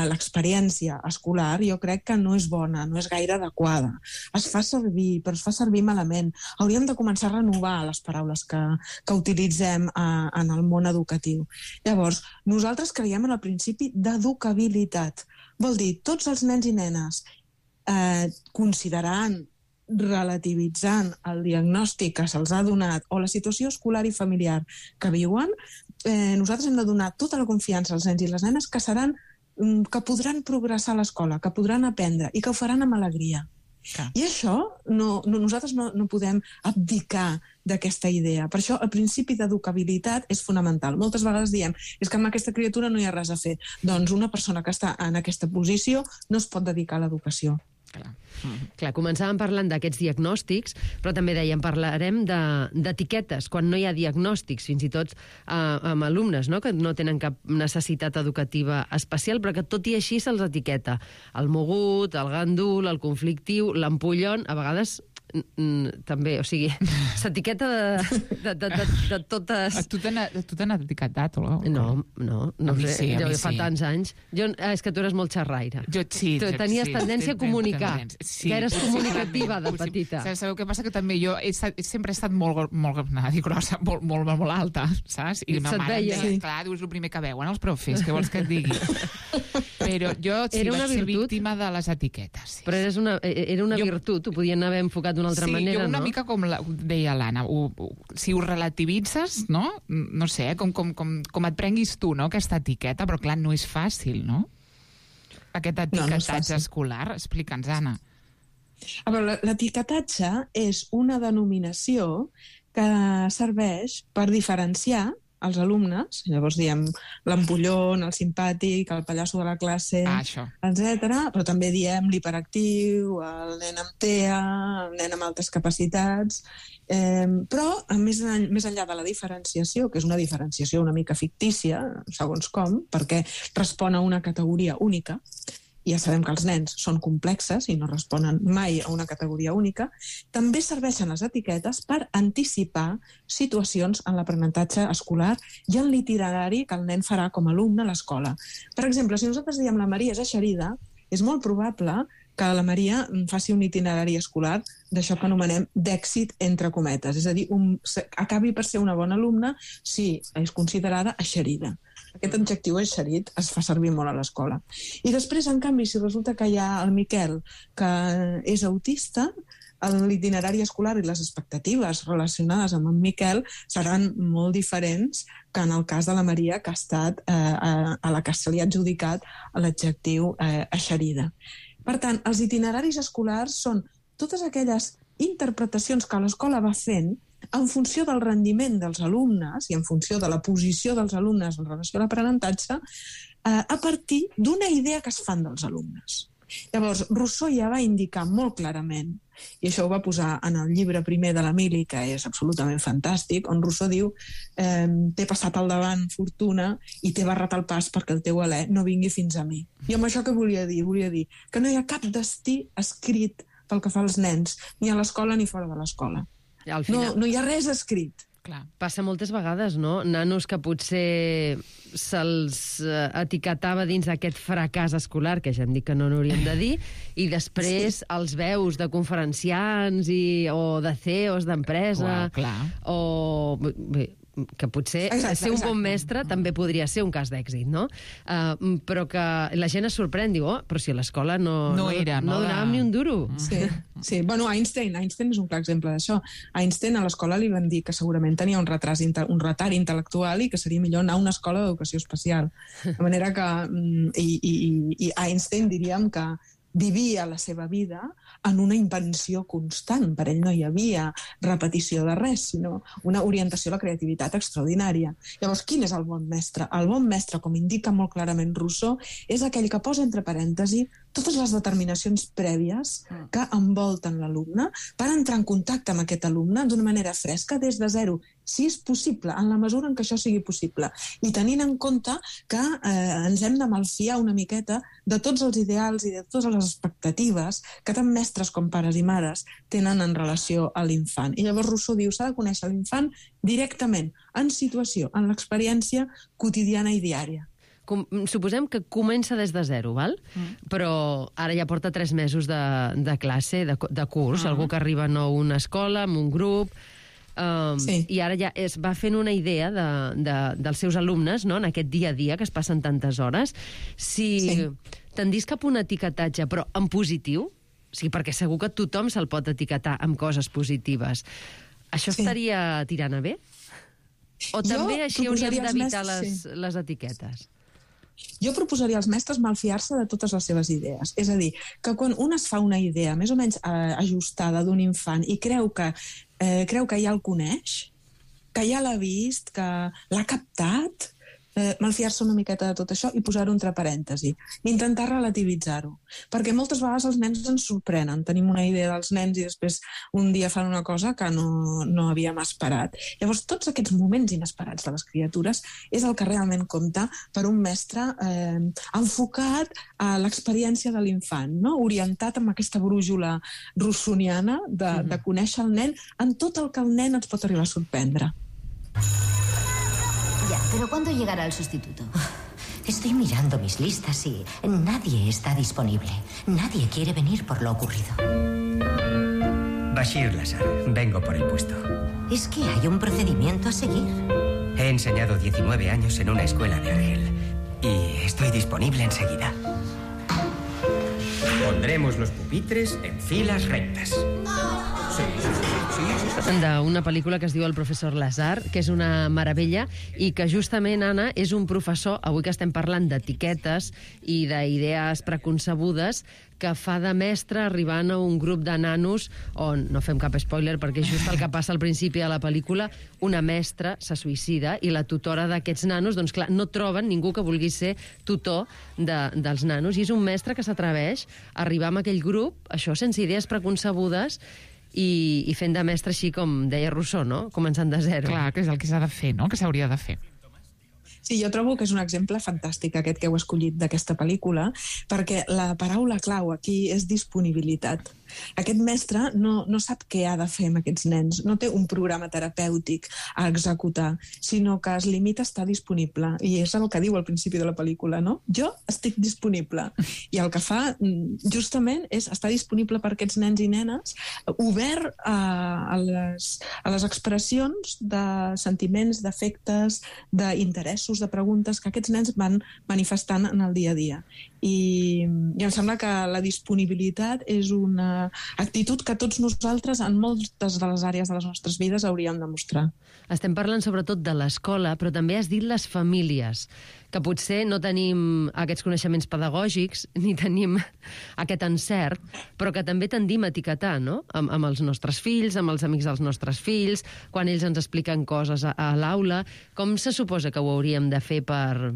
l'experiència escolar jo crec que no és bona, no és gaire adequada. Es fa servir, però es fa servir malament. Hauríem de començar a renovar les paraules que utilitzem en el món educatiu. Llavors, nosaltres creiem en el principi d'educabilitat. Vol dir, tots els nens i nenes considerant, relativitzant el diagnòstic que se'ls ha donat o la situació escolar i familiar que viuen, nosaltres hem de donar tota la confiança als nens i les nenes que podran progressar a l'escola, que podran aprendre i que ho faran amb alegria. I això nosaltres no podem abdicar d'aquesta idea. Per això el principi d'educabilitat és fonamental. Moltes vegades diem és que amb aquesta criatura no hi ha res a fer. Doncs una persona que està en aquesta posició no es pot dedicar a l'educació. Clar, començàvem parlant d'aquests diagnòstics, però també dèiem, parlarem d'etiquetes, quan no hi ha diagnòstics, fins i tot amb alumnes, no?, que no tenen cap necessitat educativa especial, però que tot i així se'ls etiqueta. El mogut, el gandul, el conflictiu, l'ampollon, a vegades també, o sigui, s'etiqueta de totes... A tu t'han etiquetat, o no? No sé, jo fa tants anys. És que tu eres molt xerraire. Sí. Tu tenies tendència a comunicar, que eres comunicativa de petita. Sabeu què passa? Que també jo sempre he estat molt grossa, molt alta, saps? I ma mare em deia, clar, dius el primer que veuen els profes, què vols que et digui? Però jo sí vaig ser víctima de les etiquetes. Però era una virtut, ho podien haver enfocat d'una altra manera, no? Sí, jo una mica com deia l'Anna, si ho relativitzes, no? No sé, com et prenguis tu, no?, aquesta etiqueta, però clar, no és fàcil, no? Aquest etiquetatge escolar, explica'ns, Anna. L'etiquetatge és una denominació que serveix per diferenciar els alumnes, llavors diem l'ampollon, el simpàtic, el pallasso de la classe, etc. Però també diem l'hiperactiu, el nen amb TEA, el nen amb altes capacitats. Però, més enllà de la diferenciació, que és una diferenciació una mica fictícia, segons com, perquè respon a una categoria única, i ja sabem que els nens són complexes i no responen mai a una categoria única, també serveixen les etiquetes per anticipar situacions en l'aprenentatge escolar i en l'itinerari que el nen farà com a alumne a l'escola. Per exemple, si nosaltres diem la Maria és eixerida, és molt probable que la Maria faci un itinerari escolar d'això que anomenem d'èxit entre cometes, és a dir, acabi per ser una bona alumna si és considerada eixerida. Aquest adjectiu eixerit es fa servir molt a l'escola. I després, en canvi, si resulta que hi ha el Miquel, que és autista, l'itinerari escolar i les expectatives relacionades amb en Miquel seran molt diferents que en el cas de la Maria, que ha estat a la que se li ha adjudicat l'adjectiu eixerida. Per tant, els itineraris escolars són totes aquelles interpretacions que l'escola va fent en funció del rendiment dels alumnes i en funció de la posició dels alumnes en relació a l'aprenentatge, a partir d'una idea que es fan dels alumnes. Llavors, Rousseau ja va indicar molt clarament, i això ho va posar en el llibre primer de l'Emili, que és absolutament fantàstic, on Rousseau diu t'he passat al davant fortuna i t'he barrat el pas perquè el teu alè no vingui fins a mi. I amb això què volia dir? Volia dir que no hi ha cap destí escrit pel que fa als nens, ni a l'escola ni fora de l'escola. No hi ha res escrit. Clar. Passa moltes vegades, no? Nanos que potser se'ls etiquetava dins d'aquest fracàs escolar, que ja hem dit que no n'hauríem de dir, i després els veus de conferenciants o de CEOs d'empresa, o... que potser ser un bon mestre també podria ser un cas d'èxit, no? Però que la gent es sorprèn, diu, però si a l'escola no donàvem ni un duro. Sí. Bueno, Einstein és un clar exemple d'això. Einstein a l'escola li van dir que segurament tenia un retard intel·lectual i que seria millor anar a una escola d'educació especial. De manera que... I Einstein diríem que vivia la seva vida en una invenció constant. Per ell no hi havia repetició de res, sinó una orientació a la creativitat extraordinària. Llavors, quin és el bon mestre? El bon mestre, com indica molt clarament Rousseau, és aquell que posa entre parèntesi totes les determinacions prèvies que envolten l'alumne per entrar en contacte amb aquest alumne d'una manera fresca des de zero si és possible, en la mesura en què això sigui possible. I tenint en compte que ens hem de malfiar una miqueta de tots els ideals i de totes les expectatives que tant mestres com pares i mares tenen en relació a l'infant. I llavors Rousseau diu s'ha de conèixer l'infant directament, en situació, en l'experiència quotidiana i diària. Suposem que comença des de zero, val? Però ara ja porta 3 mesos de classe, de curs, algú que arriba nou a una escola, amb un grup, i ara ja es va fent una idea dels seus alumnes, no?, en aquest dia a dia que es passen tantes hores. Si tendís cap a un etiquetatge, però en positiu, perquè segur que tothom se'l pot etiquetar amb coses positives, això estaria tirant a bé? O també així hauríem d'evitar les etiquetes? Jo proposaria als mestres malfiar-se de totes les seves idees. És a dir, que quan un es fa una idea més o menys ajustada d'un infant i creu que ja el coneix, que ja l'ha vist, que l'ha captat, malfiar-se una miqueta de tot això i posar-ho entre parèntesi. Intentar relativitzar-ho. Perquè moltes vegades els nens ens sorprenen. Tenim una idea dels nens i després un dia fan una cosa que no havíem esperat. Llavors, tots aquests moments inesperats de les criatures és el que realment compta per un mestre enfocat a l'experiència de l'infant, no? Orientat amb aquesta brújula rousseauiana de conèixer el nen en tot el que el nen ens pot arribar a sorprendre. Ya, pero ¿cuándo llegará el sustituto? Estoy mirando mis listas y nadie está disponible. Nadie quiere venir por lo ocurrido. Bashir Lazar, vengo por el puesto. ¿Es que hay un procedimiento a seguir? He enseñado 19 años en una escuela de Argel y estoy disponible enseguida. Pondremos los pupitres en filas rectas. D'una pel·lícula que es diu El professor Lazar, que és una meravella i que justament, Anna, és un professor, avui que estem parlant d'etiquetes i d'idees preconcebudes, que fa de mestre arribant a un grup de nanos on, no fem cap spoiler perquè és just el que passa al principi de la pel·lícula, una mestra se suïcida i la tutora d'aquests nanos, doncs clar, no troben ningú que vulgui ser tutor dels nanos, i és un mestre que s'atreveix a arribar amb aquell grup, això sense idees preconcebudes, i fent de mestre així com deia Rousseau, no? Començant de zero. Clar, que és el que s'ha de fer, no? Que s'hauria de fer. Sí, jo trobo que és un exemple fantàstic aquest que heu escollit d'aquesta pel·lícula, perquè la paraula clau aquí és disponibilitat. Aquest mestre no sap què ha de fer amb aquests nens, no té un programa terapèutic a executar, sinó que es limita a estar disponible. I és el que diu al principi de la pel·lícula, no? Jo estic disponible. I el que fa, justament, és estar disponible per aquests nens i nenes, obert a les expressions de sentiments, d'afectes, d'interessos, de preguntes que aquests nens van manifestant en el dia a dia. I em sembla que la disponibilitat és una actitud que tots nosaltres en moltes de les àrees de les nostres vides hauríem de mostrar. Estem parlant sobretot de l'escola, però també has dit les famílies, que potser no tenim aquests coneixements pedagògics ni tenim aquest encert, però que també tendim a etiquetar, no? Amb els nostres fills, amb els amics dels nostres fills, quan ells ens expliquen coses a l'aula. Com se suposa que ho hauríem de fer per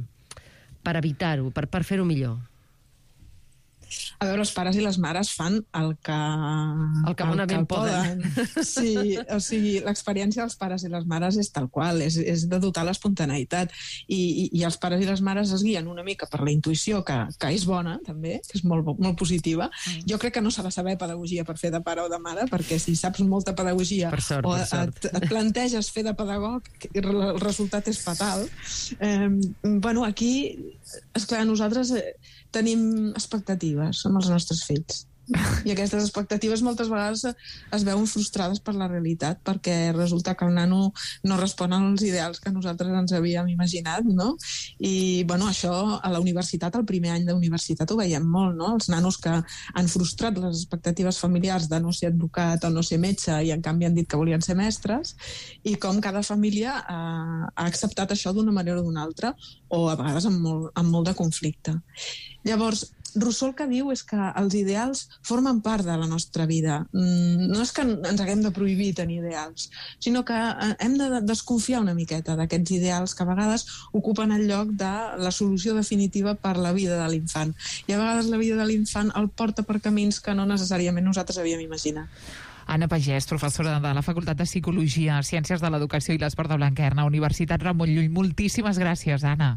evitar-ho, per fer-ho millor? A veure, els pares i les mares fan el que bonament poden. Sí, o sigui, l'experiència dels pares i les mares és tal qual, és de dotar l'espontaneïtat. I els pares i les mares es guien una mica per la intuïció, que és bona, també, que és molt positiva. Jo crec que no s'ha de saber pedagogia per fer de pare o de mare, perquè si saps molta pedagogia o et planteges fer de pedagog, el resultat és fatal. Bueno, aquí, esclar, nosaltres tenim expectatives amb els nostres fills. I aquestes expectatives moltes vegades es veuen frustrades per la realitat, perquè resulta que el nano no respon als ideals que nosaltres ens havíem imaginat, no? I, bueno, això a la universitat, al primer any d'universitat, ho veiem molt, no? Els nanos que han frustrat les expectatives familiars de no ser advocat o no ser metge i en canvi han dit que volien ser mestres, i com cada família ha acceptat això d'una manera o d'una altra, o a vegades amb molt de conflicte. Llavors, Rousseau el que diu és que els ideals formen part de la nostra vida. No és que ens haguem de prohibir tenir ideals, sinó que hem de desconfiar una miqueta d'aquests ideals que a vegades ocupen el lloc de la solució definitiva per la vida de l'infant. I a vegades la vida de l'infant el porta per camins que no necessàriament nosaltres havíem imaginat. Anna Pagès, professora de la Facultat de Psicologia, Ciències de l'Educació i l'Esport de Blanquerna, Universitat Ramon Llull. Moltíssimes gràcies, Anna.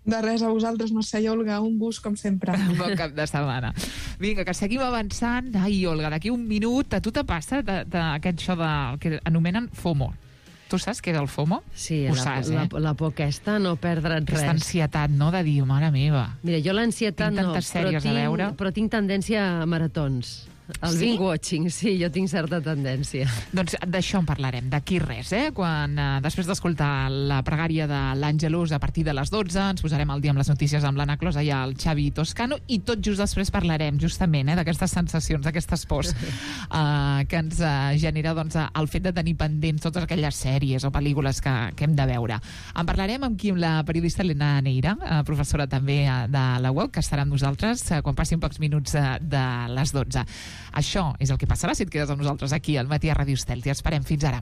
De res, a vosaltres, Mercè i Olga, un gust, com sempre. Bon cap de setmana. Vinga, que seguim avançant. Ai, Olga, d'aquí un minut, a tu te passa d'aquest això que anomenen FOMO. Tu saps què és el FOMO? Sí, ho saps, la por aquesta, no perdre't res. Aquesta ansietat, no?, de dir, mare meva. Mira, jo l'ansietat no, però tinc tendència a maratons. El binge watching, sí, jo tinc certa tendència. Doncs d'això en parlarem, d'aquí res, quan després d'escoltar la pregària de l'Àngelus a partir de les 12 ens posarem al dia amb les notícies amb l'Anna Closa i el Xavi Toscano, i tot just després parlarem justament d'aquestes sensacions, d'aquestes pors que ens genera el fet de tenir pendents totes aquelles sèries o pel·lícules que hem de veure. En parlarem amb la periodista Elena Neira, professora també de la UOC, que estarà amb nosaltres quan passin pocs minuts de les 12. Això és el que passarà si et quedes amb nosaltres aquí al Matí a Ràdio Estel. T'hi esperem. Fins ara.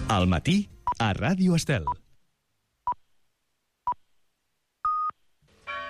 Al matí a Ràdio Estel.